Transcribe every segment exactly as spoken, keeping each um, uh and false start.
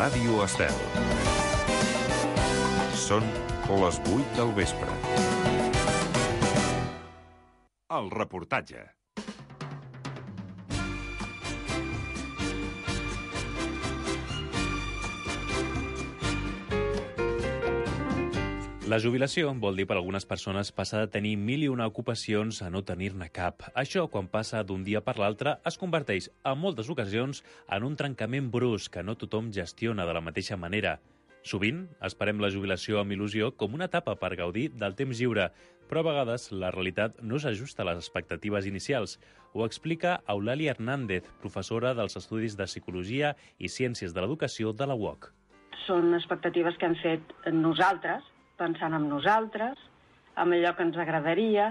Ràdio Estel. Són les vuit del vespre. El reportatge. La jubilació vol dir per a algunes persones passar de tenir mil i una ocupacions a no tenir-ne cap. Això, quan passa d'un dia per l'altre, es converteix, en moltes ocasions, en un trencament brusc que no tothom gestiona de la mateixa manera. Sovint, esperem la jubilació amb il·lusió com una etapa per gaudir del temps lliure, però a vegades la realitat no s'ajusta a les expectatives inicials. Ho explica Eulàlia Hernández, professora dels Estudis de Psicologia i Ciències de l'Educació de la U O C. Són expectatives que hem fet nosaltres, pensant en nosaltres, en allò que ens agradaria,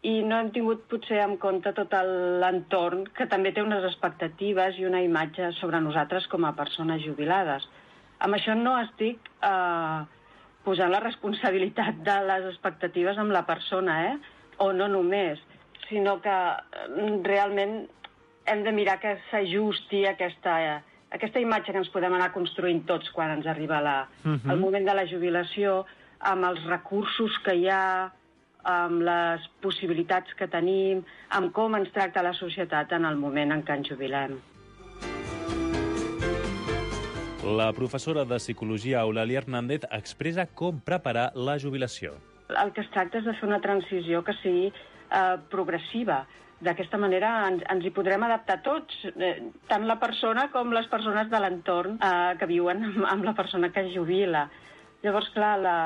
i no hem tingut potser en compte tot l'entorn, que també té unes expectatives i una imatge sobre nosaltres com a persones jubilades. Amb això no estic eh, posant la responsabilitat de les expectatives amb la persona, eh? o no només, sinó que realment hem de mirar que s'ajusti aquesta, aquesta imatge que ens podem anar construint tots quan ens arriba la, uh-huh. el moment de la jubilació, amb els recursos que hi ha, amb les possibilitats que tenim, amb com ens tracta la societat en el moment en què ens jubilem. La professora de Psicologia Eulàlia Hernández expressa com preparar la jubilació. El que es tracta és de fer una transició que sigui eh, progressiva. D'aquesta manera ens, ens hi podrem adaptar tots, eh, tant la persona com les persones de l'entorn eh, que viuen amb, amb la persona que es jubila. Llavors, clar, la,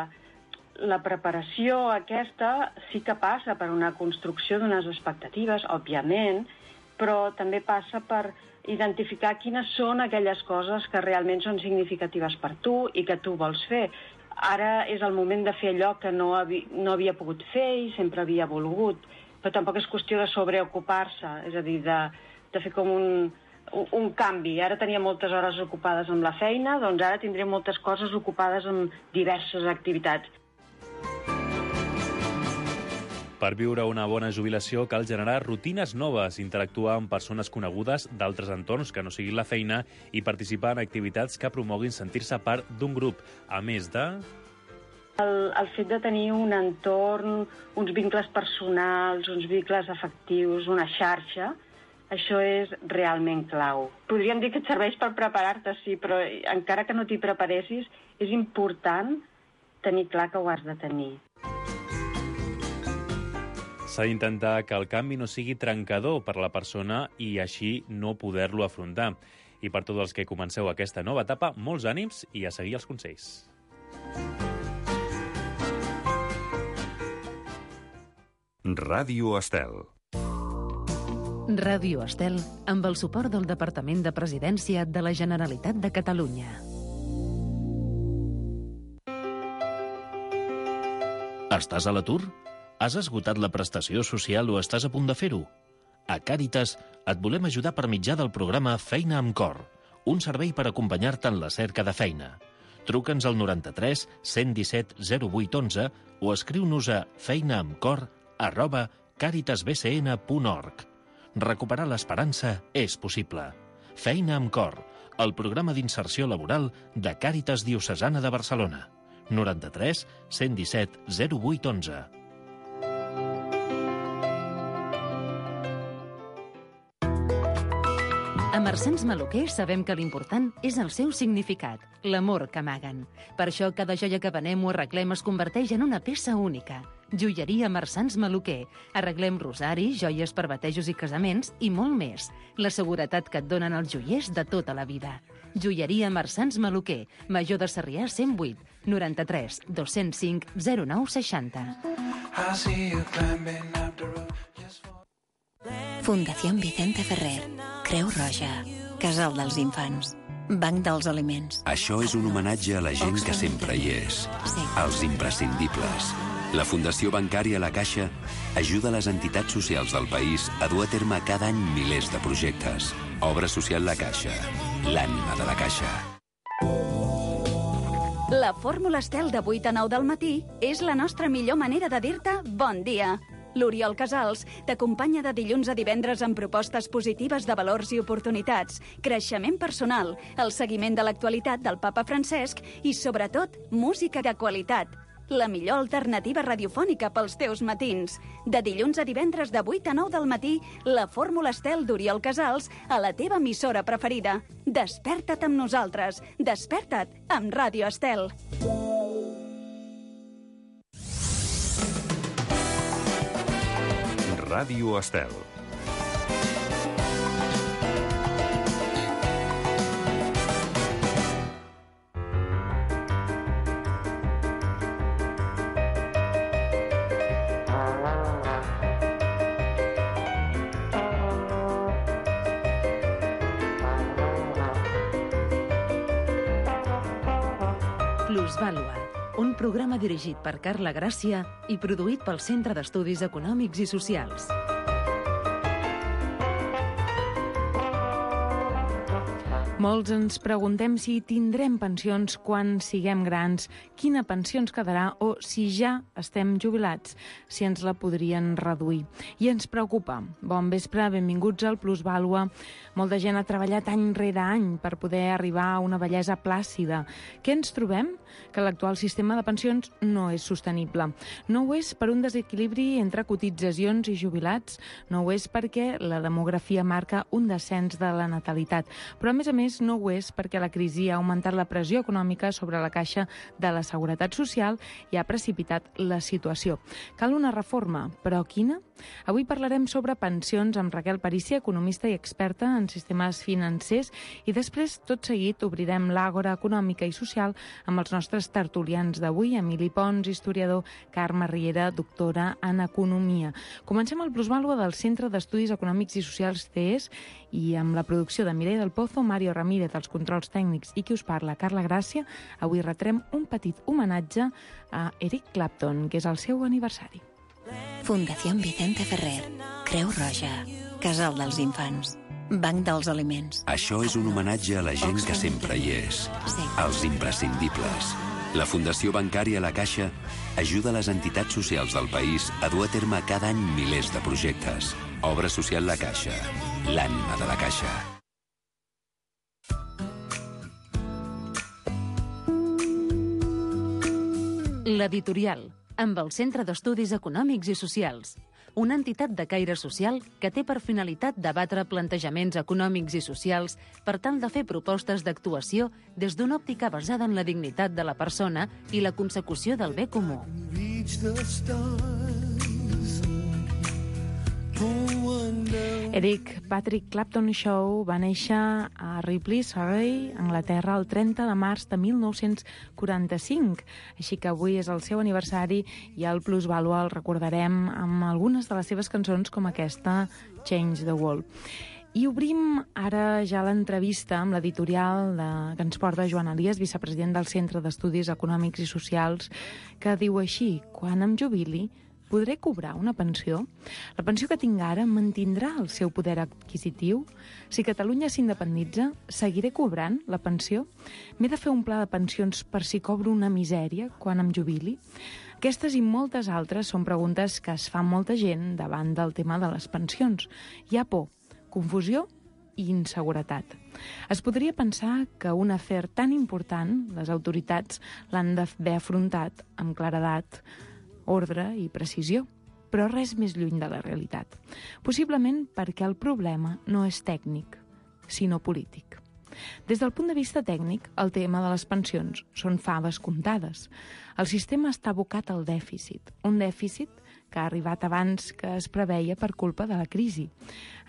la preparació aquesta sí que passa per una construcció d'unes expectatives, òbviament, però també passa per identificar quines són aquelles coses que realment són significatives per tu i que tu vols fer. Ara és el moment de fer allò que no, havi, no havia pogut fer i sempre havia volgut, però tampoc és qüestió de sobreocupar-se, és a dir, de, de fer com un, un, un canvi. Ara tenia moltes hores ocupades amb la feina, doncs ara tindré moltes coses ocupades amb diverses activitats. Per viure una bona jubilació cal generar rutines noves, interactuar amb persones conegudes d'altres entorns que no siguin la feina i participar en activitats que promoguin sentir-se part d'un grup, a més de... El, el fet de tenir un entorn, uns vincles personals, uns vincles afectius, una xarxa, això és realment clau. Podríem dir que et serveix per preparar-te, sí, però encara que no t'hi preparessis, és important tenir clar que ho has de tenir. S'ha d'intentar que el canvi no sigui trencador per a la persona i així no poder-lo afrontar. I per tots els que comenceu aquesta nova etapa, molts ànims i a seguir els consells. Ràdio Estel. Ràdio Estel, amb el suport del Departament de Presidència de la Generalitat de Catalunya. Estàs a l'atur? Has esgotat la prestació social o estàs a punt de fer-ho? A Càritas et volem ajudar per mitjà del programa Feina amb Cor, un servei per acompanyar-te en la cerca de feina. Truca'ns al noranta-tres cent disset zero vuit onze o escriu-nos a feinaamcor arroba càritasbcn punt org. Recuperar l'esperança és possible. Feina amb Cor, el programa d'inserció laboral de Càritas Diocesana de Barcelona. noranta-tres cent disset zero vuit onze. A Marsans Maluquer sabem que l'important és el seu significat, l'amor que amaguen. Per això cada joia que venem o arreglem es converteix en una peça única. Joieria Marsans Maluquer. Arreglem rosaris, joies per batejos i casaments i molt més. La seguretat que et donen els joiers de tota la vida. Joieria Marsans Maluquer. Major de Sarrià cent vuit, noranta-tres dos-cents cinc zero nou seixanta. Fundación Vicente Ferrer, Creu Roja, Casal dels Infants, Banc dels Aliments. Això és un homenatge a la gent que sempre hi és, Sí. als imprescindibles. La Fundació Bancària La Caixa ajuda les entitats socials del país a dur a terme cada any milers de projectes. Obra social La Caixa, l'ànima de la Caixa. La fórmula Estel de vuit a nou del matí és la nostra millor manera de dir-te bon dia. L'Oriol Casals t'acompanya de dilluns a divendres amb propostes positives de valors i oportunitats, creixement personal, el seguiment de l'actualitat del papa Francesc i, sobretot, música de qualitat. La millor alternativa radiofònica pels teus matins. De dilluns a divendres de vuit a nou del matí, la Fórmula Estel d'Oriol Casals a la teva emissora preferida. Desperta't amb nosaltres. Desperta't amb Ràdio Estel. Ràdio Estel. Plusvàlua, un programa dirigit per Carla Gràcia i produït pel Centre d'Estudis Econòmics i Socials. Molts ens preguntem si tindrem pensions quan siguem grans, quina pensió ens quedarà o si ja estem jubilats, si ens la podrien reduir. I ens preocupa. Bon vespre, benvinguts al Plusvàlua. Molta gent ha treballat any rere any per poder arribar a una vellesa plàcida. Què ens trobem? Que l'actual sistema de pensions no és sostenible. No ho és per un desequilibri entre cotitzacions i jubilats, no ho és perquè la demografia marca un descens de la natalitat, però a més a més no ho és perquè la crisi ha augmentat la pressió econòmica sobre la caixa de la Seguretat Social i ha precipitat la situació. Cal una reforma, però quina? Avui parlarem sobre pensions amb Raquel Parícia, economista i experta en sistemes financers, i després, tot seguit, obrirem l'àgora econòmica i social amb els nostres tertulians d'avui, Emili Pons, historiador, Carme Riera, doctora en economia. Comencem el Plusvàlua del Centre d'Estudis Econòmics i Socials C E S i amb la producció de Mireia del Pozo, Mario Ramírez, els controls tècnics i qui us parla, Carla Gràcia. Avui retrem un petit homenatge a Eric Clapton, que és el seu aniversari. Fundació Vicente Ferrer, Creu Roja, Casal dels Infants, Banc dels Aliments. Això és un homenatge a la gent que sempre hi és, als imprescindibles. La Fundació Bancària La Caixa ajuda les entitats socials del país a dur a terme cada any milers de projectes. Obra social La Caixa, l'ànima de la Caixa. L'editorial, amb el Centre d'Estudis Econòmics i Socials, una entitat de caire social que té per finalitat debatre plantejaments econòmics i socials per tal de fer propostes d'actuació des d'una òptica basada en la dignitat de la persona i la consecució del bé comú. Eric Patrick Clapton Shaw va néixer a Ripley, Surrey, Anglaterra, el trenta de març de mil nou-cents quaranta-cinc. Així que avui és el seu aniversari i al Plusvàlua el recordarem amb algunes de les seves cançons com aquesta, Change the World. I obrim ara ja l'entrevista amb l'editorial de, que ens porta Joan Elias, vicepresident del Centre d'Estudis Econòmics i Socials, que diu així: quan em jubili, podré cobrar una pensió? La pensió que tinc ara mantindrà el seu poder adquisitiu? Si Catalunya s'independitza, seguiré cobrant la pensió? M'he de fer un pla de pensions per si cobro una misèria quan em jubili? Aquestes i moltes altres són preguntes que es fa molta gent davant del tema de les pensions. Hi ha por, confusió i inseguretat. Es podria pensar que un afer tan important, les autoritats l'han d'haver afrontat amb claredat, ordre i precisió, però res més lluny de la realitat. Possiblement perquè el problema no és tècnic, sinó polític. Des del punt de vista tècnic, el tema de les pensions són faves comptades. El sistema està abocat al dèficit, un dèficit que ha arribat abans que es preveia per culpa de la crisi.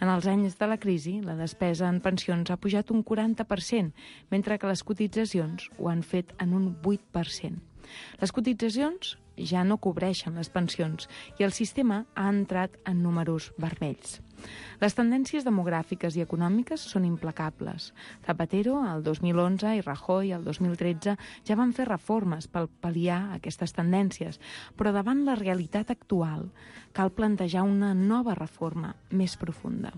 En els anys de la crisi, la despesa en pensions ha pujat un quaranta per cent, mentre que les cotitzacions ho han fet en un vuit per cent. Les cotitzacions ja no cobreixen les pensions i el sistema ha entrat en números vermells. Les tendències demogràfiques i econòmiques són implacables. Zapatero, el dos mil onze, i Rajoy, el dos mil tretze, ja van fer reformes per pal·liar aquestes tendències, però davant la realitat actual cal plantejar una nova reforma més profunda.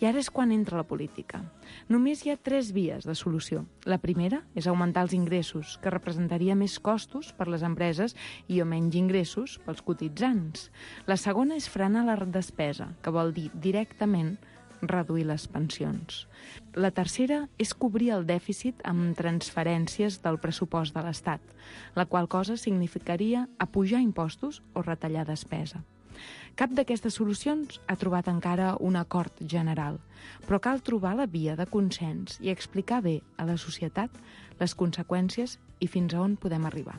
I ara és quan entra la política. Només hi ha tres vies de solució. La primera és augmentar els ingressos, que representaria més costos per les empreses i o menys ingressos pels cotitzants. La segona és frenar la despesa, que vol dir directament reduir les pensions. La tercera és cobrir el dèficit amb transferències del pressupost de l'Estat, la qual cosa significaria apujar impostos o retallar despesa. Cap d'aquestes solucions ha trobat encara un acord general, però cal trobar la via de consens i explicar bé a la societat les conseqüències i fins a on podem arribar.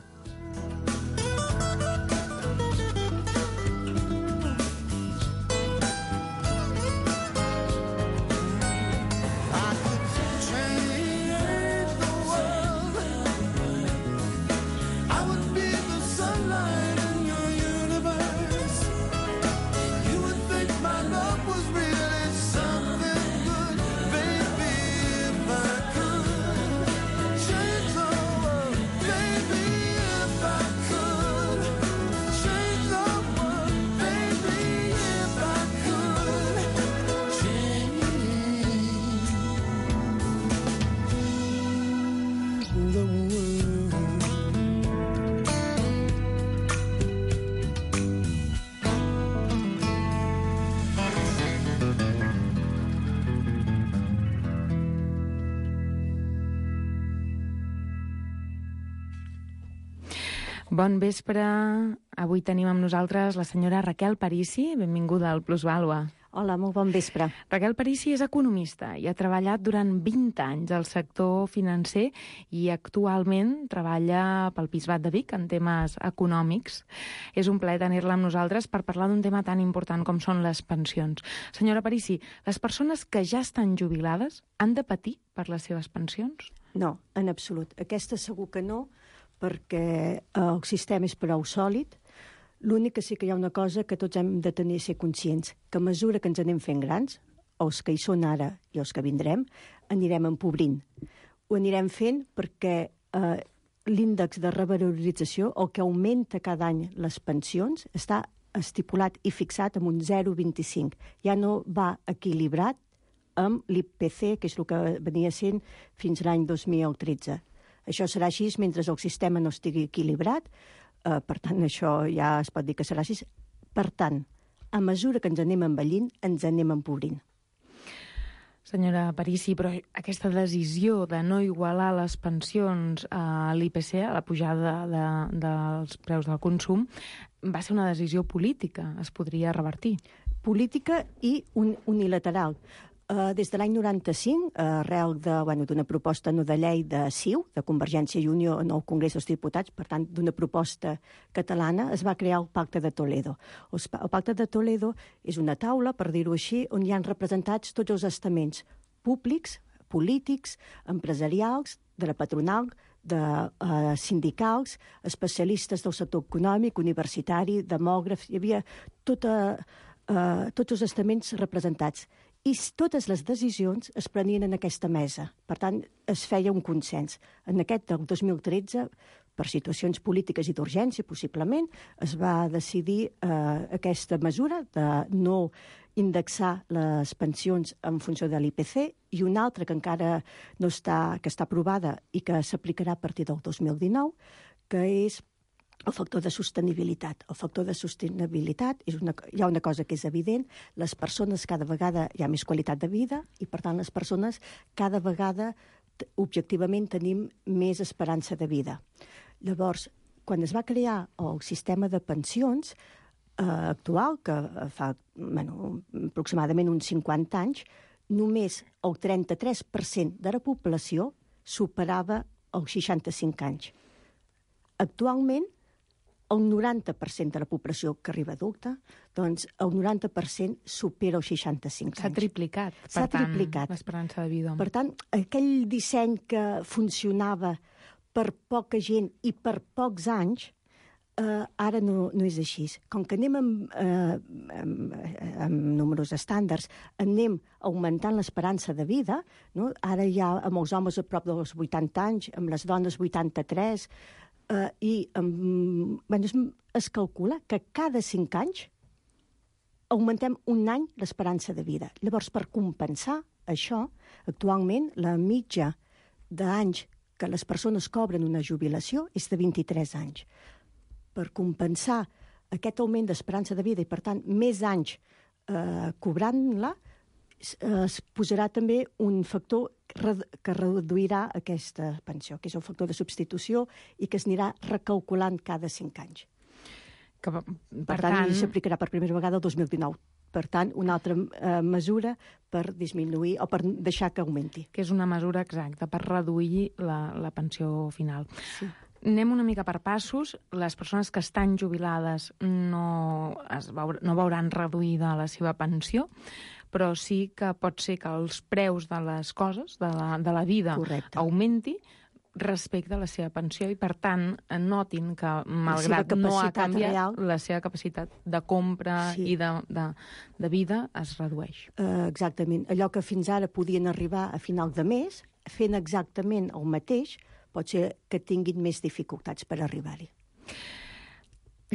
Bon vespre. Avui tenim amb nosaltres la senyora Raquel Parisi. Benvinguda al Plusvàlua. Hola, molt bon vespre. Raquel Parisi és economista i ha treballat durant vint anys al sector financer i actualment treballa pel Bisbat de Vic en temes econòmics. És un plaer tenir-la amb nosaltres per parlar d'un tema tan important com són les pensions. Senyora Parisi, les persones que ja estan jubilades han de patir per les seves pensions? No, en absolut. Aquesta segur que no, perquè el sistema és prou sòlid. L'únic que sí que hi ha una cosa que tots hem de tenir ser conscients, que a mesura que ens anem fent grans, els que hi són ara i els que vindrem, anirem empobrint. Ho anirem fent perquè eh, l'índex de revalorització, el que augmenta cada any les pensions, està estipulat i fixat en un zero coma vint-i-cinc. Ja no va equilibrat amb l'I P C, que és el que venia sent fins l'any dos mil tretze. Això serà així mentre el sistema no estigui equilibrat, eh, per tant, això ja es pot dir que serà així. Per tant, a mesura que ens anem envellint, ens anem empobrint. Senyora Parisi, però aquesta decisió de no igualar les pensions a l'I P C, a la pujada de, dels preus del consum, va ser una decisió política, es podria revertir. Política i un, unilateral. Uh, des de l'any noranta-cinc, uh, arrel de, bueno, d'una proposta no de llei de C I U, de Convergència i Unió en el Congrés dels Diputats, per tant, d'una proposta catalana, es va crear el Pacte de Toledo. El Pacte de Toledo és una taula, per dir-ho així, on hi han representats tots els estaments públics, polítics, empresarials, de la patronal, de uh, sindicals, especialistes del sector econòmic, universitari, demògrafs, hi havia tota, uh, tots els estaments representats. I totes les decisions es prenien en aquesta mesa. Per tant, es feia un consens. En aquest del dos mil tretze, per situacions polítiques i d'urgència, possiblement, es va decidir eh, aquesta mesura de no indexar les pensions en funció de l'I P C i una altra que encara no està, que està aprovada i que s'aplicarà a partir del dos mil dinou, que és el factor de sostenibilitat. El factor de sostenibilitat, és una, hi ha una cosa que és evident, les persones cada vegada hi ha més qualitat de vida i, per tant, les persones cada vegada objectivament tenim més esperança de vida. Llavors, quan es va crear el sistema de pensions eh, actual, que fa bueno, aproximadament uns cinquanta anys, només el trenta-tres per cent de la població superava els seixanta-cinc anys. Actualment, el noranta per cent de la població que arriba adulta, doncs el noranta per cent supera els seixanta-cinc anys. S'ha triplicat, per S'ha tant, triplicat. l'esperança de vida. Per tant, aquell disseny que funcionava per poca gent i per pocs anys, eh, ara no, no és així. Com que anem amb, eh, amb, amb números estàndards, anem augmentant l'esperança de vida, no? Ara hi ha amb els homes a prop dels vuitanta anys, amb les dones vuitanta-tres, Uh, i um, bueno, es, es calcula que cada cinc anys augmentem un any l'esperança de vida. Llavors, per compensar això, actualment la mitja d'anys que les persones cobren una jubilació és de vint-i-tres anys. per compensar aquest augment d'esperança de vida i, per tant, més anys eh, cobrant-la, es posarà també un factor que reduirà aquesta pensió, que és un factor de substitució i que es anirà recalculant cada cinc anys. Que, per, per tant, tant... s'aplicarà per primera vegada el dos mil dinou. Per tant, una altra eh, mesura per disminuir o per deixar que augmenti. Que és una mesura exacta per reduir la, la pensió final. Sí. Anem una mica per passos. Les persones que estan jubilades no, es veur, no veuran reduïda la seva pensió, però sí que pot ser que els preus de les coses, de la, de la vida, Correcte. Augmenti respecte a la seva pensió i, per tant, notin que, malgrat no ha canviat, real, la seva capacitat de compra sí. i de, de, de vida es redueix. Uh, exactament. Allò que fins ara podien arribar a final de mes, fent exactament el mateix, pot ser que tinguin més dificultats per arribar-hi.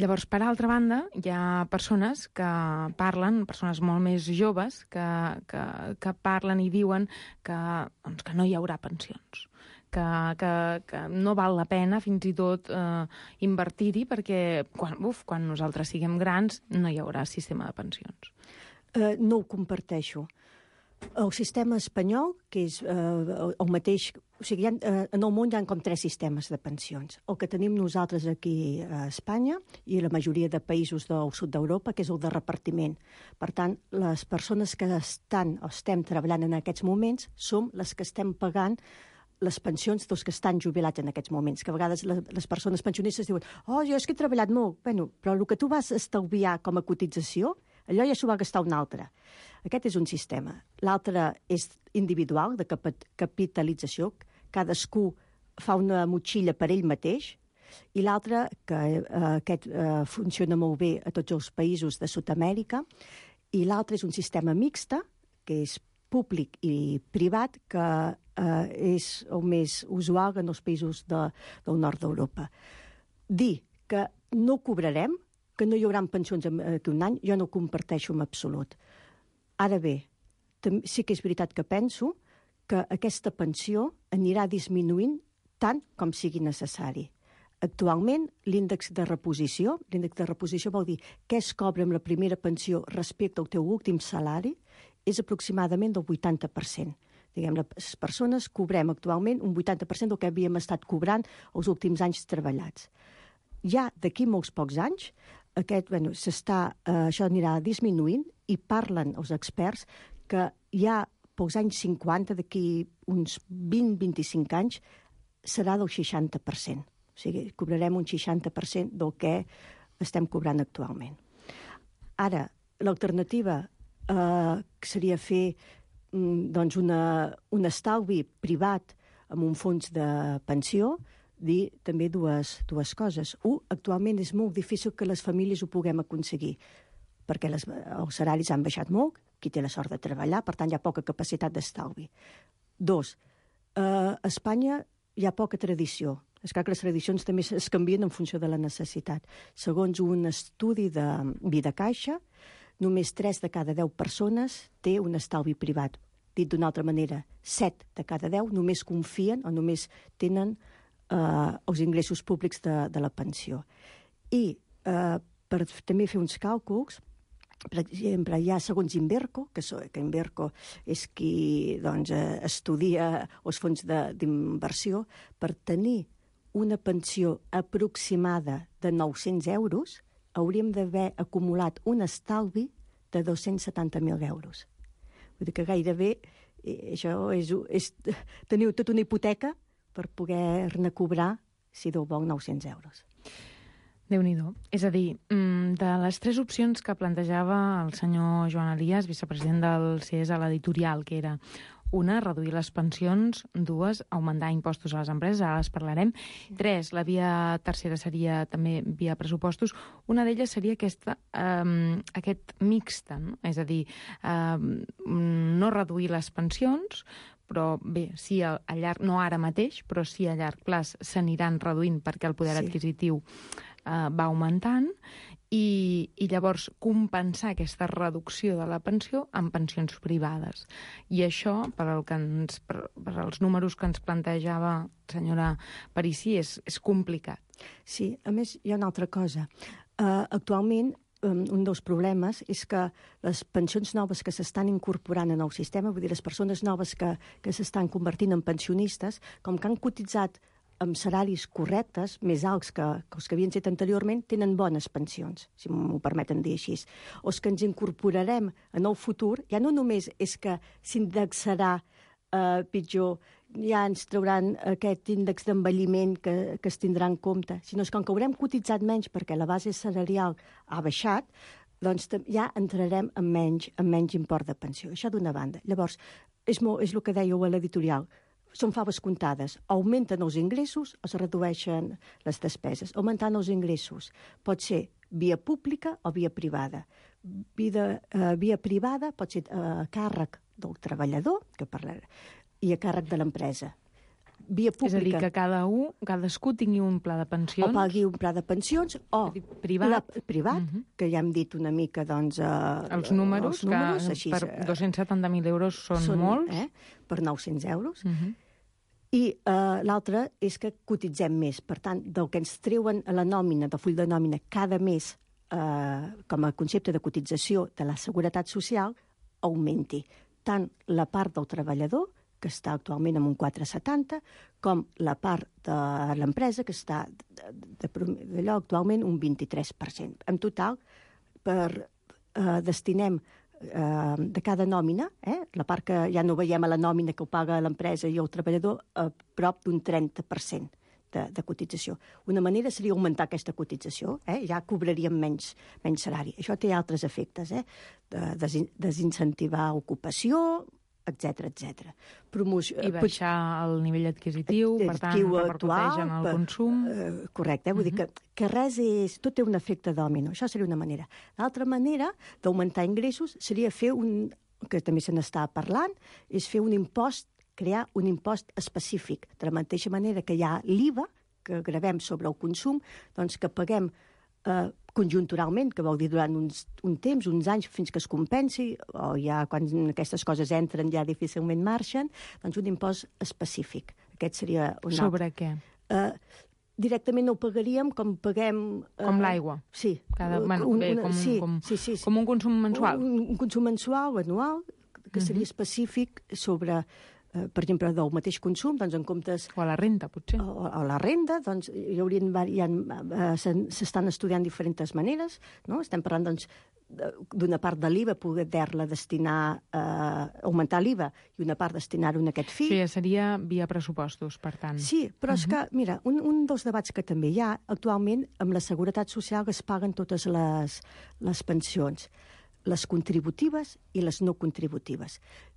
Llavors, per altra banda, hi ha persones que parlen, persones molt més joves, que, que, que parlen i diuen que, doncs, que no hi haurà pensions, que, que, que no val la pena fins i tot eh, invertir-hi perquè quan, uf, quan nosaltres siguem grans no hi haurà sistema de pensions. Uh, no ho comparteixo. El sistema espanyol, que és eh, el mateix... O sigui, ha, eh, en el món hi ha com tres sistemes de pensions. El que tenim nosaltres aquí a Espanya i la majoria de països del sud d'Europa, que és el de repartiment. Per tant, les persones que estan o estem treballant en aquests moments som les que estem pagant les pensions dels que estan jubilats en aquests moments, que a vegades les, les persones pensionistes diuen oh, jo és que he treballat molt. Bueno, però el que tu vas estalviar com a cotització, allò ja s'ho va gastar un altre. Aquest és un sistema. L'altre és individual, de cap capitalització. Cadascú fa una motxilla per ell mateix. I l'altre, que eh, aquest eh, funciona molt bé a tots els països de Sud-amèrica. I l'altre és un sistema mixta, que és públic i privat, que eh, és el més usual en els països de, del nord d'Europa. Dir que no cobrarem, que no hi haurà pensions d'aquí un any, jo no ho comparteixo en absolut. Ara bé, sí que és veritat que penso que aquesta pensió anirà disminuint tant com sigui necessari. Actualment, l'índex de reposició, l'índex de reposició vol dir què es cobra amb la primera pensió respecte al teu últim salari, és aproximadament del vuitanta per cent. Diguem, les persones cobrem actualment un vuitanta per cent del que havíem estat cobrant els últims anys treballats. Ja d'aquí molts pocs anys, aquest, bueno, s'està, eh, això anirà disminuint i parlen els experts que ja pels anys cinquanta, d'aquí uns vint a vint-i-cinc anys, serà del seixanta per cent. O sigui, cobrarem un seixanta per cent del que estem cobrant actualment. Ara, l'alternativa eh, seria fer doncs una, un estalvi privat amb un fons de pensió, dir també dues, dues coses. Un, actualment és molt difícil que les famílies ho puguem aconseguir, perquè les, els salaris han baixat molt, qui té la sort de treballar, per tant hi ha poca capacitat d'estalvi. Dos, eh, a Espanya hi ha poca tradició. És clar que les tradicions també es canvien en funció de la necessitat. Segons un estudi de Vidacaixa, només tres de cada deu persones té un estalvi privat. Dit d'una altra manera, set de cada deu només confien o només tenen eh, els ingressos públics de, de la pensió. I eh, per també fer uns càlculs, per exemple, hi ha segons Inverco, que, so, que Inverco és qui doncs, estudia els fons d'inversió, per tenir una pensió aproximada de nou-cents euros, hauríem d'haver acumulat un estalvi de dos-cents setanta mil euros. Vull dir que gairebé eh, això és, és, teniu tota una hipoteca per poder-ne cobrar, si Déu vol, nou-cents euros. Déu-n'hi-do. És a dir, de les tres opcions que plantejava el senyor Joan Elias, vicepresident del C E S a l'editorial, que era una, reduir les pensions, dues, augmentar impostos a les empreses, ara les parlarem, tres, la via tercera seria també via pressupostos, una d'elles seria aquesta, eh, aquest mixta, no? És a dir, eh, no reduir les pensions, però bé, sí, a, a llarg, no ara mateix, però sí a llarg plaç s'aniran reduint perquè el poder sí. adquisitiu Uh, va augmentant, i, i llavors compensar aquesta reducció de la pensió amb pensions privades. I això, per, el que ens, per, per als números que ens plantejava senyora Parisi, és, és complicat. Sí, a més, hi ha una altra cosa. Uh, actualment, um, un dels problemes és que les pensions noves que s'estan incorporant en el sistema, vull dir, les persones noves que, que s'estan convertint en pensionistes, com que han cotitzat amb salaris correctes, més alts que, que els que havien fet anteriorment, tenen bones pensions, si m'ho permeten dir així. O els que ens incorporarem en el futur, ja no només és que s'indexarà eh, pitjor, ja ens trauran aquest índex d'envelliment que, que es tindrà en compte, sinó que com que haurem cotitzat menys perquè la base salarial ha baixat, doncs ja entrarem en menys, en menys import de pensió. Això d'una banda. Llavors, és, molt, és el que dèieu a l'editorial, són faves comptades. Augmenten els ingressos o es redueixen les despeses. Augmentant els ingressos pot ser via pública o via privada. Via, uh, via privada pot ser a uh, càrrec del treballador, que parlarà, i a càrrec de l'empresa. Via pública... És a dir, que cada un, cadascú tingui un pla de pensions... O pagui un pla de pensions, o privat, la, privat uh -huh. que ja hem dit una mica, doncs... Uh, els números, els números que així, per dos-cents setanta mil euros són, són molts. Eh, per nou-cents euros. Uh -huh. I uh, l'altre és que cotitzem més. Per tant, del que ens treuen a la nòmina, del full de nòmina, cada mes, uh, com a concepte de cotització de la Seguretat Social, augmenti tant la part del treballador, que està actualment en un quatre coma setanta, com la part de l'empresa, que està d'allò actualment un vint-i-tres per cent. En total, per, eh, destinem eh, de cada nòmina, eh, la part que ja no veiem a la nòmina que ho paga l'empresa i el treballador, a prop d'un trenta per cent de, de cotització. Una manera seria augmentar aquesta cotització, eh, ja cobraríem menys, menys salari. Això té altres efectes, eh, de des, desincentivar ocupació, etcètera, etcètera. Promoció, I baixar el nivell adquisitiu, per tant, repercuteix en el consum. Uh, correcte, eh? Vull uh-huh. dir que, que res és... Tot té un efecte dòmino, això seria una manera. L'altra manera d'augmentar ingressos seria fer un... que també se n'està parlant, és fer un impost, crear un impost específic. De la mateixa manera que hi ha l'I V A, que gravem sobre el consum, doncs que paguem eh, conjunturalment, que vol dir durant uns, un temps, uns anys, fins que es compensi, o ja quan aquestes coses entren ja difícilment marxen, doncs un impost específic. Aquest seria un Sobre altre. què? Uh, directament no ho pagaríem com paguem... Uh, com l'aigua? Sí. Cada, bueno, un, bé, una, com, sí, com, sí, sí, sí. com un consum mensual? Un, un consum mensual o anual, que seria uh-huh. específic sobre... Uh, per exemple, del mateix consum, doncs en comptes... O a la renda, potser. O, o a la renda, doncs hi haurien... Hi ha, uh, s'estan estudiant diferents maneres, no? Estem parlant, doncs, d'una part de l'I V A, poder-la destinar a uh, augmentar l'I V A i una part destinar-ho en aquest fi. Sí, seria via pressupostos, per tant. Sí, però uh-huh. és que, mira, un, un dels debats que també hi ha, actualment, amb la Seguretat Social es paguen totes les, les pensions, les contributives i les no contributives.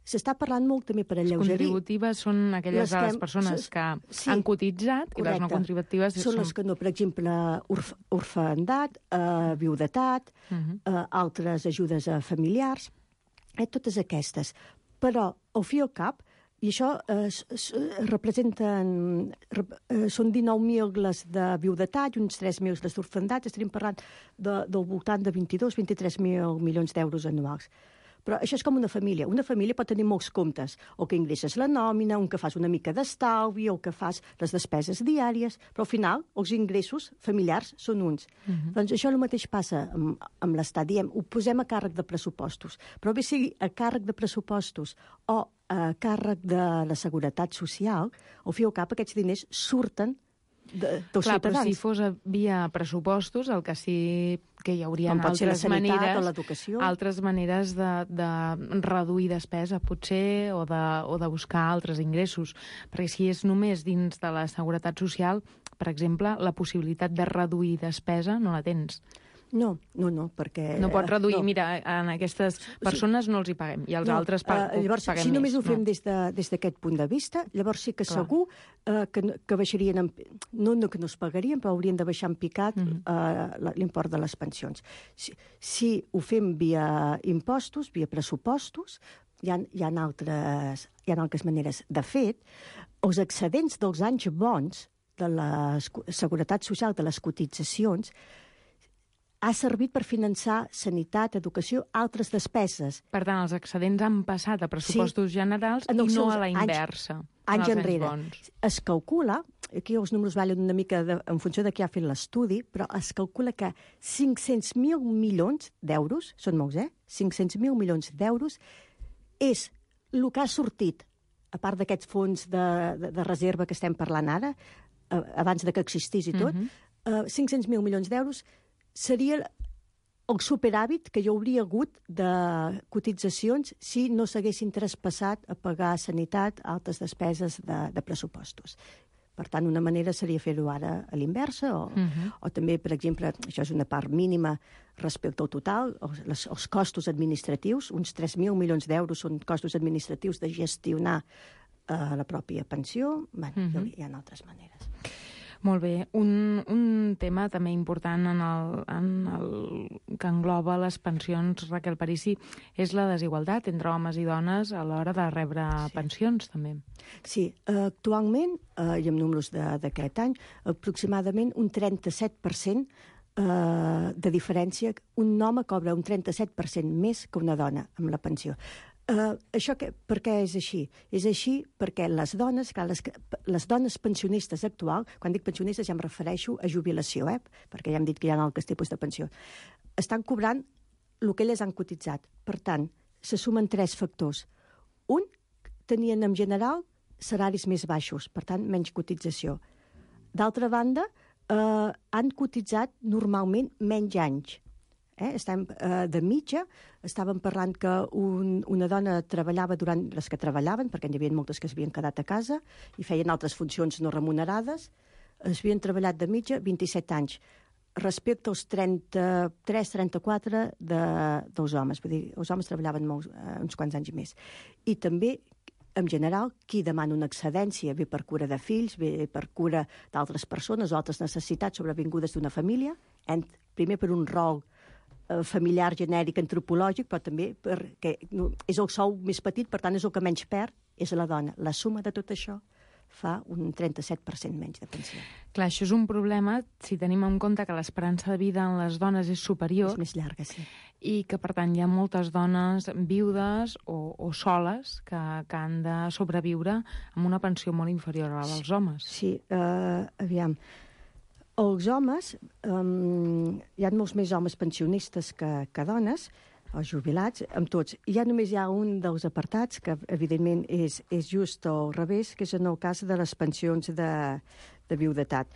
S'està parlant molt també per alleugerir... Les contributives són aquelles de les persones que sí, han cotitzat, correcte. I les no contributives... Són, són les que no, per exemple, orf orfendat, eh, viudetat, uh-huh. eh, altres ajudes a familiars, eh, totes aquestes. Però, al fi i al cap, i això eh, representen... Eh, són dinou mil les de viudetat i uns tres mil les d'orfendat. Estaríem parlant de, del voltant de vint-i-dos a vint-i-tres mil milions d'euros anuals. Però això és com una família. Una família pot tenir molts comptes. O que ingresses la nòmina, un que fas una mica d'estalvi, o que fas les despeses diàries, però al final els ingressos familiars són uns. Uh-huh. Doncs això el mateix passa amb, amb l'Estat. Diem, ho posem a càrrec de pressupostos. Però bé sigui a càrrec de pressupostos o a càrrec de la Seguretat Social, al fi i al cap aquests diners surten de, dels Clar, ciutadans. Però si fos via pressupostos, el que sí que hi hauria altres maneres, altres maneres de, de reduir despesa, potser, o de, o de buscar altres ingressos. Perquè si és només dins de la Seguretat Social, per exemple, la possibilitat de reduir despesa no la tens. No, no, no, perquè... No pots reduir, no. Mira, en aquestes persones no els hi paguem, i els no, altres pag uh, llavors, paguem si més. només ho fem no. des d'aquest de, punt de vista, llavors sí que Clar. segur uh, que, que baixarien, en, no, no que no es pagarien, però haurien de baixar en picat uh-huh. uh, l'import de les pensions. Si, si ho fem via impostos, via pressupostos, hi ha, hi ha, altres, hi ha altres maneres. De fet, els excedents dels anys bons de la Seguretat Social, de les cotitzacions, ha servit per finançar sanitat, educació, altres despeses. Per tant, els excedents han passat a pressupostos sí, generals i no a la inversa. Anys, anys enrere. Bons. Es calcula, aquí els números valen una mica de, en funció de qui ha fet l'estudi, però es calcula que cinc-cents mil milions d'euros, són molts, eh? cinc-cents mil milions d'euros és el que ha sortit, a part d'aquests fons de, de, de reserva que estem parlant ara, eh, abans de que existís i tot, uh-huh. eh, cinc-cents mil milions d'euros seria el superàvit que hi hauria hagut de cotitzacions si no s'haguessin traspassat a pagar sanitat, altres despeses de, de pressupostos. Per tant, una manera seria fer-ho ara a l'inversa, o, uh-huh. o també, per exemple, això és una part mínima respecte al total, els, les, els costos administratius, uns tres mil milions d'euros són costos administratius de gestionar eh, la pròpia pensió. Bé, uh-huh. hi ha altres maneres. Molt bé. Un, un tema també important en el, en el que engloba les pensions, Raquel Parici, és la desigualtat entre homes i dones a l'hora de rebre sí. pensions, també. Sí, uh, actualment, uh, i amb números d'aquest any, aproximadament un trenta-set per cent uh, de diferència. Un home cobra un trenta-set per cent més que una dona amb la pensió. Uh, això que, per què és així? És així perquè les dones, clar, les, les dones pensionistes actuals, quan dic pensionistes ja em refereixo a jubilació, eh? perquè ja hem dit que hi ha altres tipus de pensió, estan cobrant el que elles han cotitzat. Per tant, se sumen tres factors. Un, tenien en general salaris més baixos, per tant, menys cotització. D'altra banda, eh, han cotitzat normalment menys anys. Eh? Estem, eh, de mitja, estàvem parlant que un, una dona treballava durant les que treballaven, perquè n'hi havia moltes que s'havien quedat a casa i feien altres funcions no remunerades, es havien treballat de mitja vint-i-set anys, respecte als trenta-tres trenta-quatre de, dels homes. Vull dir, els homes treballaven molts, eh, uns quants anys més. I també, en general, qui demana una excedència, bé per cura de fills, bé per cura d'altres persones o altres necessitats sobrevingudes d'una família, en, primer per un rol familiar, genèric, antropològic, però també perquè és el sou més petit, per tant és el que menys perd, és la dona. La suma de tot això fa un trenta-set per cent menys de pensió. Clar, això és un problema si tenim en compte que l'esperança de vida en les dones és superior. És més llarga, sí. I que, per tant, hi ha moltes dones viudes o, o soles que, que han de sobreviure amb una pensió molt inferior a la dels homes. Sí, uh, aviam... Els homes, um, hi ha molts més homes pensionistes que, que dones, els jubilats, amb tots. Ja només hi ha un dels apartats, que evidentment és, és just al revés, que és en el cas de les pensions de, de viudetat.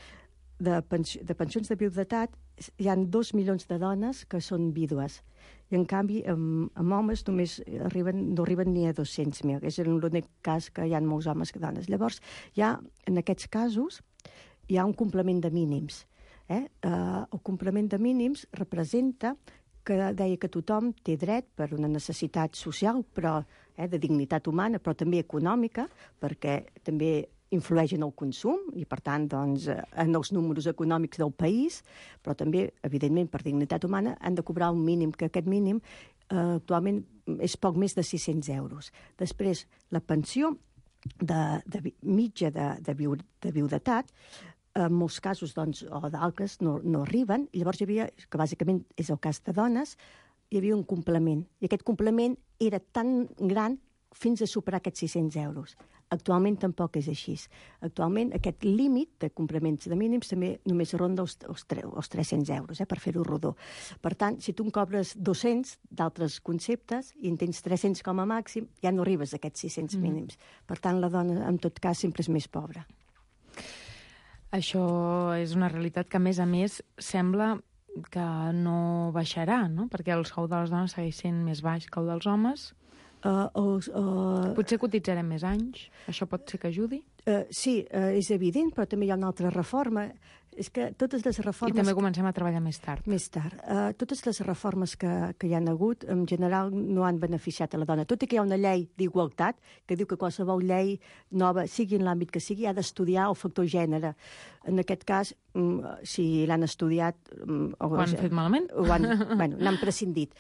De, pensi, de pensions de viudetat hi ha dos milions de dones que són vídues. I, en canvi, amb, amb homes només arriben, no arriben ni a dos-cents mil. És l'únic cas que hi ha molts homes que dones. Llavors, ja en aquests casos, hi ha un complement de mínims. Eh? Uh, el complement de mínims representa que deia que tothom té dret per una necessitat social, però eh, de dignitat humana, però també econòmica, perquè també influeix en el consum i, per tant, doncs, en els números econòmics del país, però també, evidentment, per dignitat humana, han de cobrar un mínim, que aquest mínim eh, actualment és poc més de sis-cents euros. Després, la pensió de, de mitja de, de, viu, de viudetat, en molts casos, doncs, o d'altres, no, no arriben. I llavors hi havia, que bàsicament és el cas de dones, hi havia un complement. I aquest complement era tan gran fins a superar aquests sis-cents euros. Actualment tampoc és així. Actualment aquest límit de complements de mínims també només ronda els, els, els tres-cents euros, eh, per fer-ho rodó. Per tant, si tu en cobres dos-cents d'altres conceptes i en tens tres-cents com a màxim, ja no arribes a aquests sis-cents mm. mínims. Per tant, la dona, en tot cas, sempre és més pobra. Això és una realitat que, a més a més, sembla que no baixarà, no? Perquè el sou de les dones segueix sent més baix que el dels homes. Uh, uh, uh, Potser cotitzarem més anys. Això pot ser que ajudi? Uh, sí, uh, és evident, però també hi ha una altra reforma. És que totes les reformes... I també comencem a treballar més tard. Més tard. Uh, totes les reformes que, que hi han hagut, en general, no han beneficiat a la dona. Tot i que hi ha una llei d'igualtat que diu que qualsevol llei nova, sigui en l'àmbit que sigui, ha d'estudiar el factor gènere. En aquest cas, si l'han estudiat... Ho han fet malament? Ho han, bueno, n'han prescindit.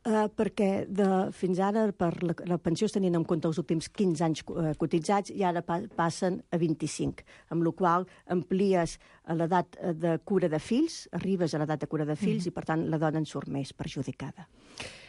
Uh, perquè de, fins ara per la, la pensió es tenien en compte els últims quinze anys uh, cotitzats i ara pa, passen a vint-i-cinc, amb la qual amplies l'edat de cura de fills, arribes a l'edat de cura de fills mm. i, per tant, la dona en surt més perjudicada.